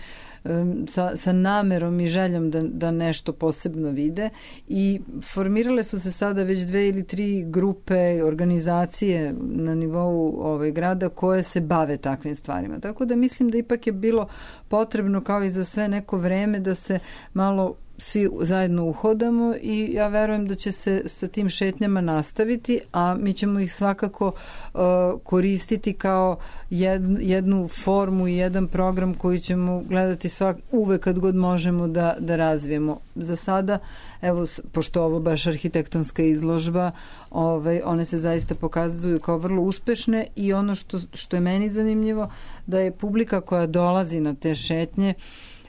sa, sa namerom i željom da, da nešto posebno vide i formirale su se sada već dve ili tri grupe, organizacije na nivou ovaj, grada koje se bave takvim stvarima. Tako da mislim da ipak je bilo potrebno kao i za sve neko vreme da se malo svi zajedno uhodamo i ja verujem da će se sa tim šetnjama nastaviti, a mi ćemo ih svakako uh, koristiti kao jednu, jednu formu i jedan program koji ćemo gledati svak, uvek kad god možemo da, da razvijemo. Za sada, evo, pošto ovo baš arhitektonska izložba, ovaj, one se zaista pokazuju kao vrlo uspešne i ono što, što je meni zanimljivo, da je publika koja dolazi na te šetnje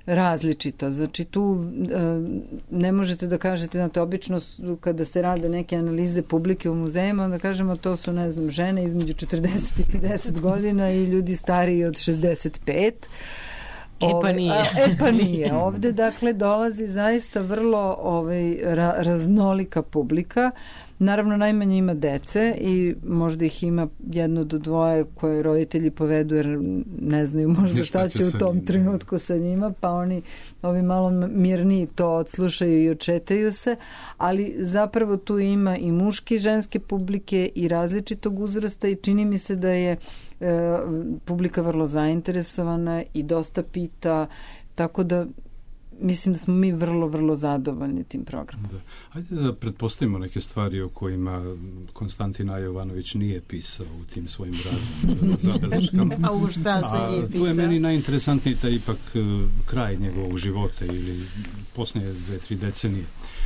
različita. Znači tu e, ne možete da kažete, znate, obično kada se rade neke analize publike u muzejima, onda kažemo to su, ne znam, žene između četrdeset i pedeset godina i ljudi stariji od šezdeset pet. E pa nije. Ove, e pa nije. Ovde, dakle, dolazi zaista vrlo ovaj, ra, raznolika publika. Naravno, najmanje ima dece i možda ih ima jedno do dvoje koje roditelji povedu jer ne znaju možda šta će u tom njim, trenutku sa njima, pa oni ovi malo mirniji to odslušaju i očetaju se, ali zapravo tu ima i muške i ženske publike i različitog uzrasta i čini mi se da je e, publika vrlo zainteresovana i dosta pita, tako da mislim da smo mi vrlo, vrlo zadovoljni tim programom. Da. Hajde da pretpostavimo neke stvari o kojima Konstantin A. Jovanović nije pisao u tim svojim raznim zabeleškama. A u šta se nije pisao? Tu je meni najinteresantniji taj ipak kraj njegovog života ili posljednje dve, tri decenije.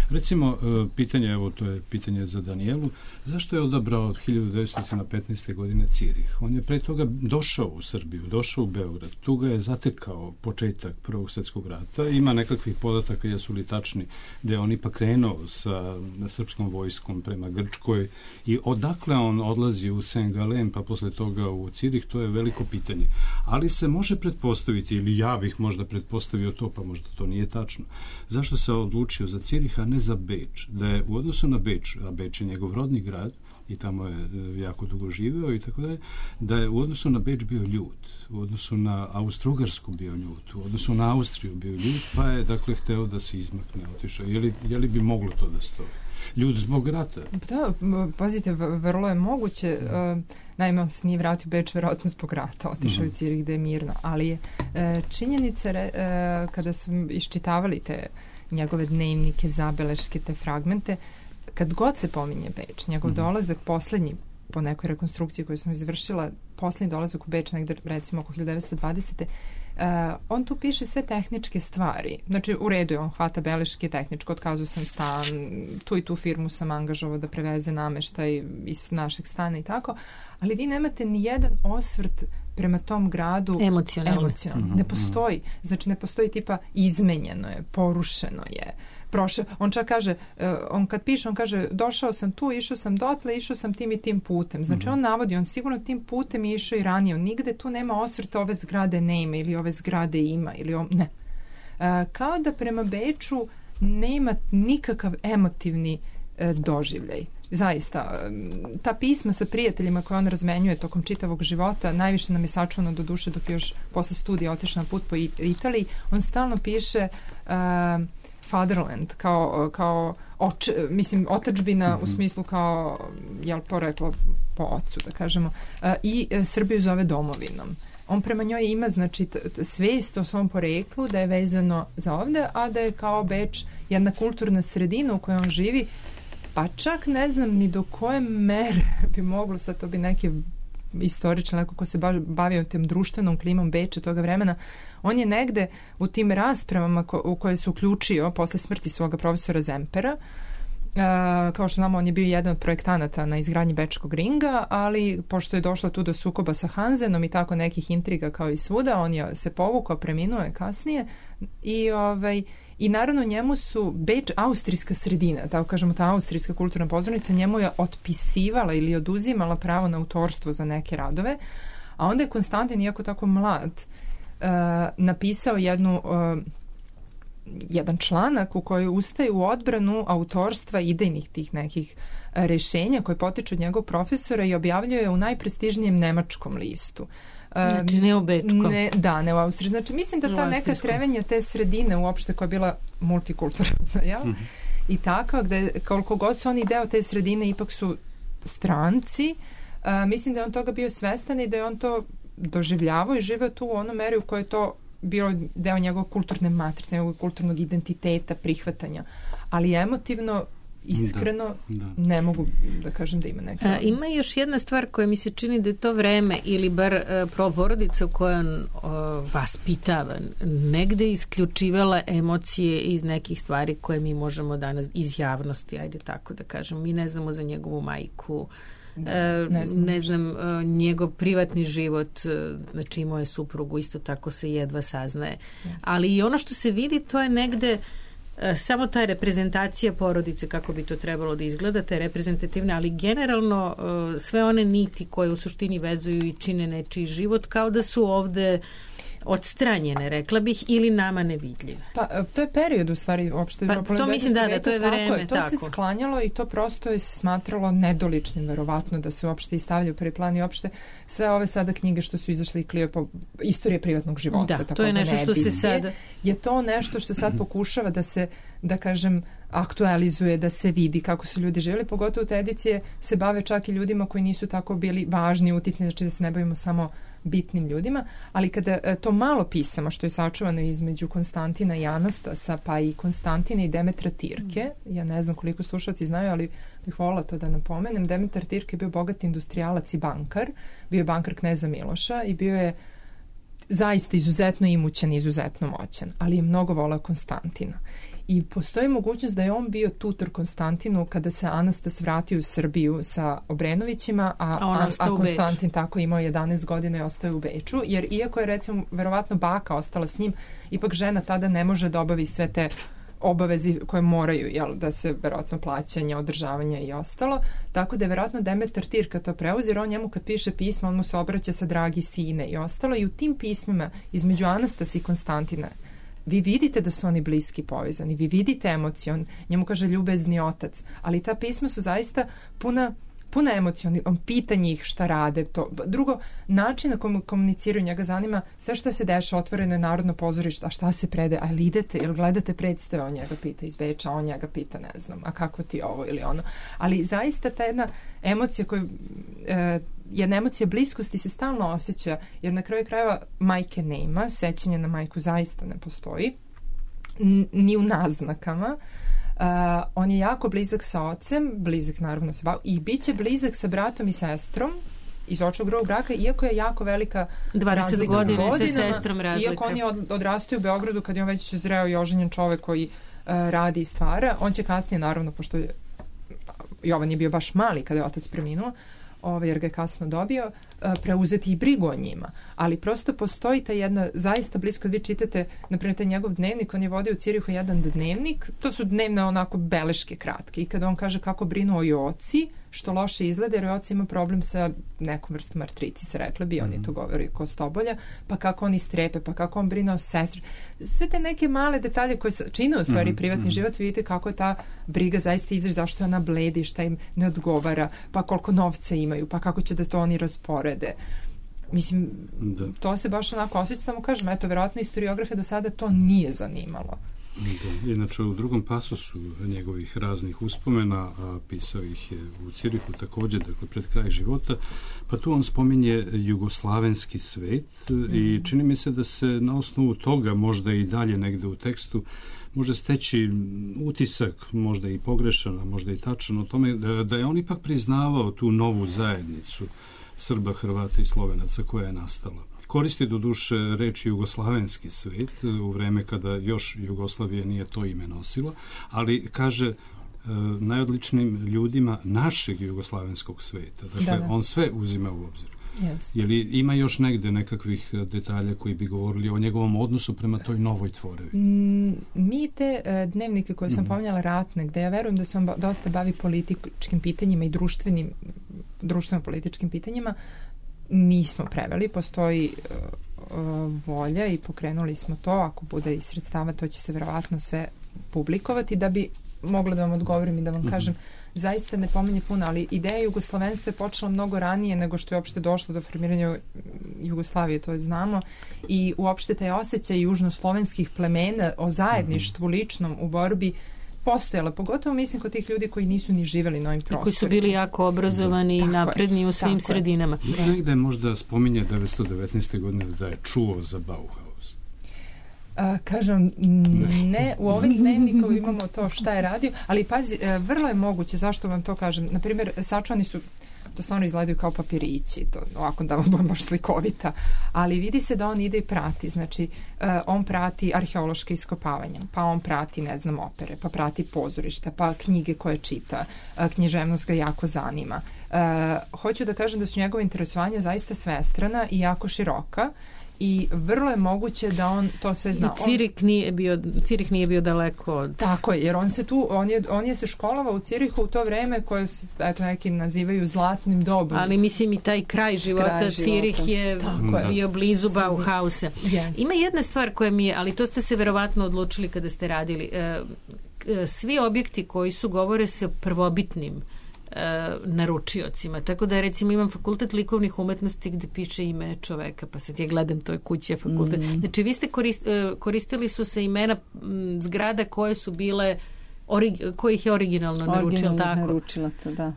Recimo, pitanje, evo to je pitanje za Danijelu, zašto je odabrao od hiljadu devetsto petnaeste. godine Cirih? On je pre toga došao u Srbiju, došao u Beograd, tu ga je zatekao početak Prvog svjetskog rata, ima nekakvih podataka, jesu li tačni, da je on ipak krenuo sa srpskom vojskom prema Grčkoj i odakle on odlazi u Saint Gallen pa posle toga u Cirih, to je veliko pitanje. Ali se može pretpostaviti, ili ja bih možda pretpostavio to, pa možda to nije tačno. Zašto se odlučio za Cirih, a ne za Beč? Da je u odnosu na Beč, a Beč je njegov rodni grad, i tamo je jako dugo živeo i tako dalje, da je u odnosu na Beč bio ljut, u odnosu na Austro-Ugarsku bio ljut, u odnosu na Austriju bio ljut, pa je dakle hteo da se izmakne, otišao. Je li, je li bi moglo to da stoji? Ljud zbog rata? Da, pazite, vrlo je moguće. Uh, naime, on se nije vratio u Beč verovatno zbog rata, otišao mm-hmm. u Cirih gde je mirno, ali je uh, činjenica uh, kada sam iščitavali te njegove dnevnike, zabeleške, te fragmente, kad god se pominje Beč, njegov mm-hmm. dolazak poslednji po nekoj rekonstrukciji koju sam izvršila, poslednji dolazak u Beč negde recimo oko hiljadu devetsto dvadesete. Uh, on tu piše sve tehničke stvari. Znači, u redu je, on hvata beleške tehničko, otkazao sam stan, tu i tu firmu sam angažovao da preveze nameštaj iz našeg stana i tako, ali vi nemate ni jedan osvrt prema tom gradu emocionalno. emocionalno. Mm-hmm. Ne postoji. Znači, ne postoji tipa izmenjeno je, porušeno je. Prošao, on čak kaže, uh, on kad piše, on kaže, došao sam tu, išao sam dotle, išao sam tim i tim putem. Znači, mm-hmm. on navodi, on sigurno tim putem je išao i ranije. On nigde tu nema osvrta ove zgrade ne ima ili ove zgrade ima ili on, ne. Uh, kao da prema Beču nema nikakav emotivni uh, doživljaj. Zaista, ta pisma sa prijateljima koje on razmenjuje tokom čitavog života, najviše nam je sačuvano do duše dok je još posle studija otišao na put po Italiji. On stalno piše uh, fatherland, kao, kao oč, mislim, otadžbina mm-hmm. u smislu kao, jel, poreklo po ocu, da kažemo, uh, i uh, Srbiju zove domovinom. On prema njoj ima, znači, svest o svom poreklu, da je vezano za ovde, a da je kao Beč jedna kulturna sredina u kojoj on živi, pa čak ne znam ni do koje mere bi moglo, sad to bi neki istoričan, neko ko se bavio tem društvenom klimom Beča toga vremena, on je negde u tim raspravama ko, u koje se uključio posle smrti svoga profesora Zempera. Uh, kao što znamo, on je bio jedan od projektanata na izgradnji Bečkog ringa, ali pošto je došlo tu do sukoba sa Hanzenom i tako nekih intriga kao i svuda, on je se povukao, preminuo je kasnije i, ovaj, i naravno njemu su Beč austrijska sredina, tako kažemo, ta austrijska kulturna pozornica njemu je otpisivala ili oduzimala pravo na autorstvo za neke radove, a onda je Konstantin, iako tako mlad, uh, napisao jednu uh, jedan članak u kojoj ustaje u odbranu autorstva idejnih tih nekih rešenja koje potiču od njegovog profesora i objavljuje u najprestižnijem nemačkom listu. Znači ne u Bečkom. Ne, da, ne u Austriji. Znači mislim da ta neka krevenja te sredine uopšte koja je bila multikulturalna, jel? Mm-hmm. I takva, gde koliko god su oni deo te sredine ipak su stranci, uh, mislim da je on toga bio svestan i da je on to doživljavao i živeo tu u onom meri u kojoj je to bilo deo njegovog kulturne matrice, njegovog kulturnog identiteta, prihvatanja. Ali emotivno, iskreno, da, da. ne mogu da kažem da ima neke odnos. Ima još jedna stvar koja mi se čini da je to vreme ili bar uh, porodica u kojoj on uh, vaspitava, negde isključivala emocije iz nekih stvari koje mi možemo danas iz javnosti, ajde tako da kažem. Mi ne znamo za njegovu majku, Da, ne znam, ne znam njegov privatni život, znači imao je suprugu, isto tako se jedva saznaje. Yes. Ali i ono što se vidi, to je negde samo ta reprezentacija porodice, kako bi to trebalo da izgleda, te reprezentativne, ali generalno sve one niti koje u suštini vezuju i čine nečiji život, kao da su ovde odstranjene, rekla bih, ili nama nevidljive? Pa to je period u stvari uopšte. Pa to mislim da, da to je vreme. Tako je, to tako. se sklanjalo i to prosto je se smatralo nedoličnim verovatno da se uopšte i stavlja u prvi plan i uopšte sve ove sada knjige što su izašle i Klio po istorije privatnog života. Da, to je nešto što se sada... Je to nešto što sad pokušava da se, da kažem, aktualizuje, da se vidi kako su ljudi živjeli, pogotovo te edicije se bave čak i ljudima koji nisu tako bili važni, uticni, znači da se ne bavimo samo bitnim ljudima, ali kada to malo pisama što je sačuvano između Konstantina i Anastasa, pa i Konstantina i Demetra Tirke, ja ne znam koliko slušalci znaju, ali bih volila to da napomenem, Demetar Tirke je bio bogat industrijalac i bankar, bio je bankar kneza Miloša i bio je zaista izuzetno imućan i izuzetno moćan, ali je mnogo volao Konstantina. I postoji mogućnost da je on bio tutor Konstantinu kada se Anastas vratio u Srbiju sa Obrenovićima, a, a, a Konstantin tako imao jedanaest godina i ostao u Beču, jer iako je recimo verovatno baka ostala s njim, ipak žena tada ne može da obavi sve te obavezi koje moraju, jel, da se verovatno plaćanja, održavanja i ostalo, tako da je verovatno Demetar Tirka to preuzir, on njemu kad piše pisma, on mu se obraća sa dragi sine i ostalo, i u tim pismima između Anastasa i Konstantina vi vidite da su oni bliski povezani, vi vidite emociju, on njemu kaže ljubezni otac, ali ta pisma su zaista puna puna emocija, on pita njih šta rade. To. Drugo, način na komu komuniciraju, njega zanima sve šta se deša, otvoreno je Narodno pozorište, a šta se predaje, a ili idete, ili gledate predstave, on njega pita iz Beča, on njega pita, ne znam, a kako ti ovo ili ono. Ali zaista ta jedna emocija koja e, jedna emocija bliskosti se stalno osjeća, jer na kraju krajeva majke nema, sećanje na majku zaista ne postoji, ni u naznakama. Uh, on je jako blizak sa ocem, blizak naravno sa babom, i bit će blizak sa bratom i sestrom iz očnog drugog braka, iako je jako velika dvadeset godina sa sestrom razlika. Iako oni od, odrastaju u Beogradu kad je on već zreo i oženjen čovek koji uh, radi i stvara, on će kasnije naravno, pošto je, Jovan je bio baš mali kada je otac preminuo, ovaj, jer ga je kasno dobio, preuzeti i brigu o njima. Ali prosto postoji ta jedna zaista blisko, kad vi čitate, naprimjer, taj njegov dnevnik, on je vodio u Cirihu jedan dnevnik, to su dnevne onako beleške kratke, i kada on kaže kako brinu o Joci, što loše izgleda, jer Joci ima problem sa nekom vrstom artritisa, rekla bi, on je to govori kostobolja, pa kako on istrepe, pa kako on brine o sestri. Sve te neke male detalje koje čine u stvari mm-hmm. privatni mm-hmm. život, vidite kako je ta briga zaista izraž, zašto ona bledi, šta im ne odgovara, pa koliko novca imaju, pa kako će da to oni rasporede. Mislim, da. To se baš onako osjeća, samo kažem, eto, verovatno historiografe do sada to nije zanimalo. Da. Inače, u drugom pasusu njegovih raznih uspomena, a pisao ih je u Cirihu također, dakle, pred kraj života, pa tu on spominje jugoslavenski svet mm-hmm. i čini mi se da se na osnovu toga, možda i dalje negde u tekstu, može steći utisak, možda i pogrešan, a možda i tačan o tome, da, da je on ipak priznavao tu novu zajednicu Srba, Hrvata i Slovenaca koja je nastala. Koristi do duše reči jugoslavenski svet u vreme kada još Jugoslavija nije to ime nosila, ali kaže e, najodličnijim ljudima našeg jugoslavenskog sveta. Dakle, da, da. On sve uzima u obzir. Yes. Je li ima još negde nekakvih detalja koji bi govorili o njegovom odnosu prema toj novoj tvorevi? Mm, mi te uh, dnevnike koje sam mm. pominjala ratne, gde ja verujem da se on ba- dosta bavi političkim pitanjima i društvenim društveno-političkim pitanjima, nismo preveli, postoji uh, uh, volja i pokrenuli smo to, ako bude i sredstava, to će se verovatno sve publikovati, da bi mogla da vam odgovorim i da vam mm-hmm. kažem, zaista ne pominje puno, ali ideja jugoslovenstva je počela mnogo ranije nego što je uopšte došlo do formiranja Jugoslavije, to je znamo, i uopšte taj osjećaj južnoslovenskih plemena o zajedništvu mm-hmm. ličnom u borbi postojala, pogotovo mislim kod tih ljudi koji nisu ni živeli na ovim prostorima. Koji su bili jako obrazovani i napredni u svim sredinama. Da. Negde možda spominje devetsto devetnaeste godine da je čuo za Bauhaus. A, kažem, ne, u ovim dnevnikom imamo to šta je radio, ali pazi, vrlo je moguće, zašto vam to kažem, na primjer, sačuvani su, to stvarno izgledaju kao papirići, to ovako da vam baš slikovita, ali vidi se da on ide i prati, znači uh, on prati arheološke iskopavanja, pa on prati, ne znam, opere, pa prati pozorišta, pa knjige koje čita, uh, književnost ga jako zanima. Uh, hoću da kažem da su njegove interesovanja zaista svestrana i jako široka, i vrlo je moguće da on to sve zna. I Cirih nije bio, Cirih nije bio daleko od... Tako je, jer on se tu, on je, on je se školovao u Cirihu u to vreme koje se, eto, neki nazivaju zlatnim dobom. Ali mislim i taj kraj života, kraj Cirih života. je Tako bio je. blizu Bauhausa. Yes. Ima jedna stvar koja mi je, ali to ste se verovatno odlučili kada ste radili, svi objekti koji su govore se o prvobitnim naručiocima. Tako da recimo imam fakultet likovnih umetnosti gde piše ime čoveka, pa sad ja gledam toj kući je fakultet. Mm. Znači vi ste korist, koristili su se imena m, zgrada koje su bile orig, kojih je originalno naručilo, tako? Naručilaca, da.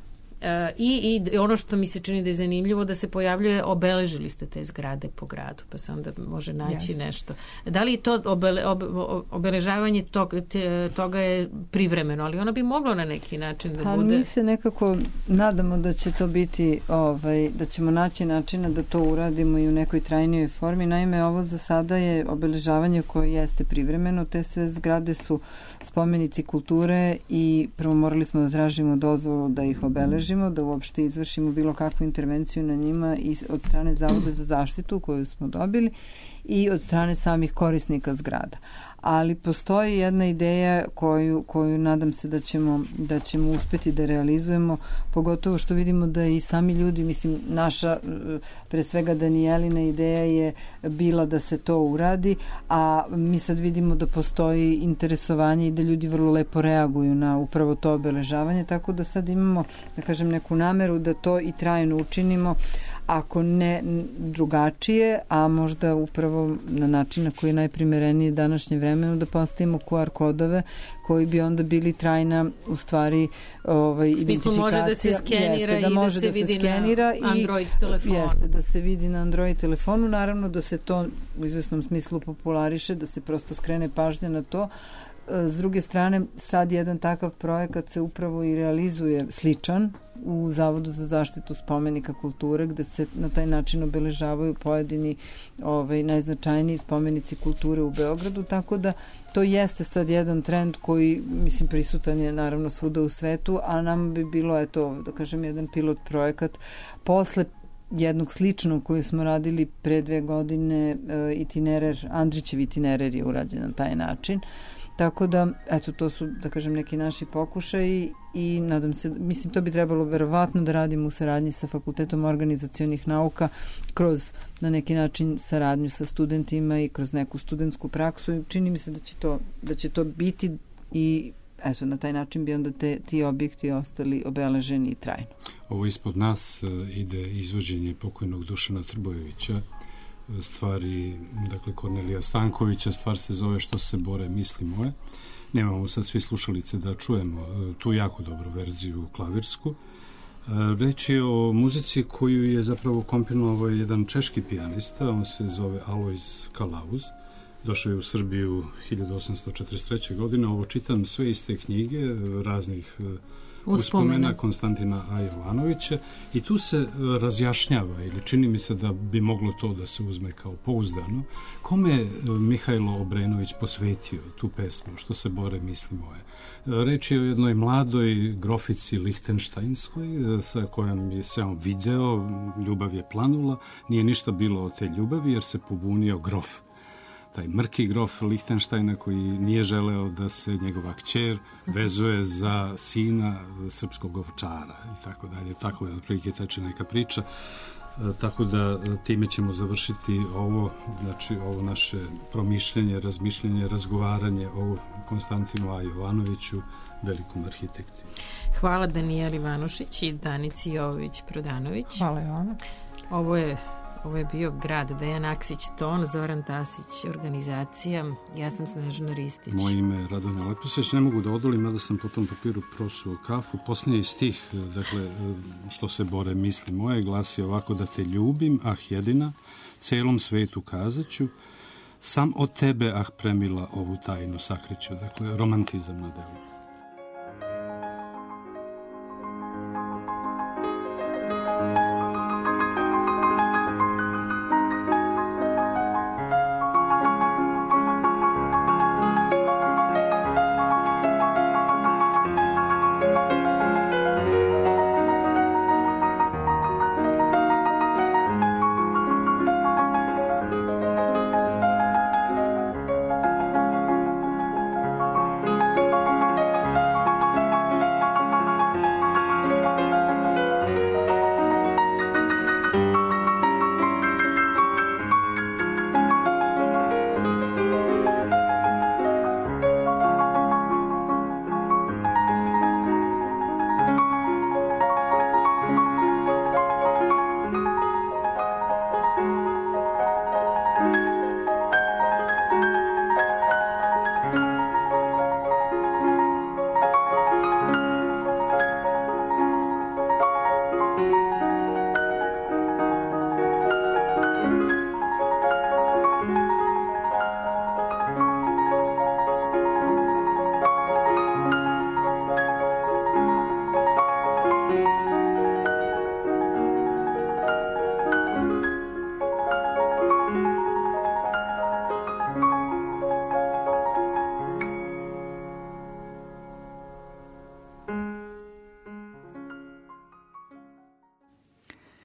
I, i ono što mi se čini da je zanimljivo da se pojavljuje, obeležili ste te zgrade po gradu, pa se onda može naći yes. nešto. Da li to obele, ob, obeležavanje tog, te, toga je privremeno, ali ono bi moglo na neki način da pa, bude... Mi se nekako nadamo da će to biti, ovaj, da ćemo naći načina da to uradimo i u nekoj trajnijoj formi. Naime, ovo za sada je obeležavanje koje jeste privremeno. Te sve zgrade su spomenici kulture i prvo morali smo da tražimo dozvolu da ih obeležimo, da uopšte izvršimo bilo kakvu intervenciju na njima i od strane Zavoda za zaštitu koju smo dobili i od strane samih korisnika zgrada. Ali postoji jedna ideja koju, koju nadam se da ćemo, da ćemo uspeti da realizujemo, pogotovo što vidimo da i sami ljudi, mislim, naša, pre svega Danijelina ideja je bila da se to uradi, a mi sad vidimo da postoji interesovanje i da ljudi vrlo lepo reaguju na upravo to obeležavanje, tako da sad imamo, da kažem, neku nameru da to i trajno učinimo, ako ne drugačije, a možda upravo na način na koji je najprimereniji današnje vremenu, da postavimo ku ar kodove koji bi onda bili trajna u stvari ovaj, identifikacija. Može da se skenira jeste, da i može da se da vidi skenira na Android telefonu. Jeste, da se vidi na Android telefonu, naravno da se to u izvesnom smislu populariše, da se prosto skrene pažnja na to. S druge strane, sad jedan takav projekat se upravo i realizuje sličan u Zavodu za zaštitu spomenika kulture, gde se na taj način obeležavaju pojedini ovaj, najznačajniji spomenici kulture u Beogradu, tako da to jeste sad jedan trend koji, mislim, prisutan je naravno svuda u svetu, a nam bi bilo, eto, da kažem, jedan pilot projekat posle jednog sličnog koji smo radili pre dve godine, itinerer, Andrićev itinerer je urađen na taj način. Tako da, eto, to su, da kažem, neki naši pokušaji i nadam se, mislim, to bi trebalo verovatno da radimo u saradnji sa Fakultetom organizacionih nauka kroz, na neki način, saradnju sa studentima i kroz neku studentsku praksu i čini mi se da će to, da će to biti i eto, na taj način bi onda te, ti objekti ostali obeleženi i trajno. Ovo ispod nas ide izvođenje pokojnog Dušana Trbojevića, stvari, dakle, Kornelija Stankovića, stvar se zove Što se bore misli moje. Nemamo sad svi slušalice da čujemo tu jako dobru verziju klavirsku. Reč je o muzici koju je zapravo komponovao jedan češki pijanista, on se zove Alojz Kalauz. Došao je u Srbiju hiljadu osamsto četrdeset treće. godine. Ovo čitam sve iz te knjige, raznih uspomena Konstantina A. Jovanovića, i tu se razjašnjava, ili čini mi se da bi moglo to da se uzme kao pouzdano, kome je Mihajlo Obrenović posvetio tu pesmu Što se bore misli moje. Reč je o jednoj mladoj grofici Lihtenštajnskoj sa kojom je se on video, ljubav je planula, nije ništa bilo od te ljubavi jer se pobunio grof, taj mrki grof Lihtenštajna koji nije želeo da se njegova kćer vezuje za sina srpskog ovčara i tako dalje. Tako je otprilike teče neka priča. E, tako da time ćemo završiti ovo, znači ovo naše promišljanje, razmišljanje, razgovaranje o Konstantinu A. Jovanoviću, velikom arhitekti. Hvala Danijeli Vanušić i Danici Jovović-Prodanović. Hvala Jovana. Ovo je Ovo je bio Grad, Dejan Aksić, ton, Zoran Tasić, organizacija, ja sam Snežana Ristić. Moje ime je Radonja Leposeć, ne mogu da odolim, mada sam po tom papiru prosuo kafu. Posljednji stih, dakle, Što se bore misli moje, glasi ovako: da te ljubim, ah jedina, celom svetu kazaću, sam od tebe, ah premila, ovu tajnu sakriću. Dakle, romantizam na delu.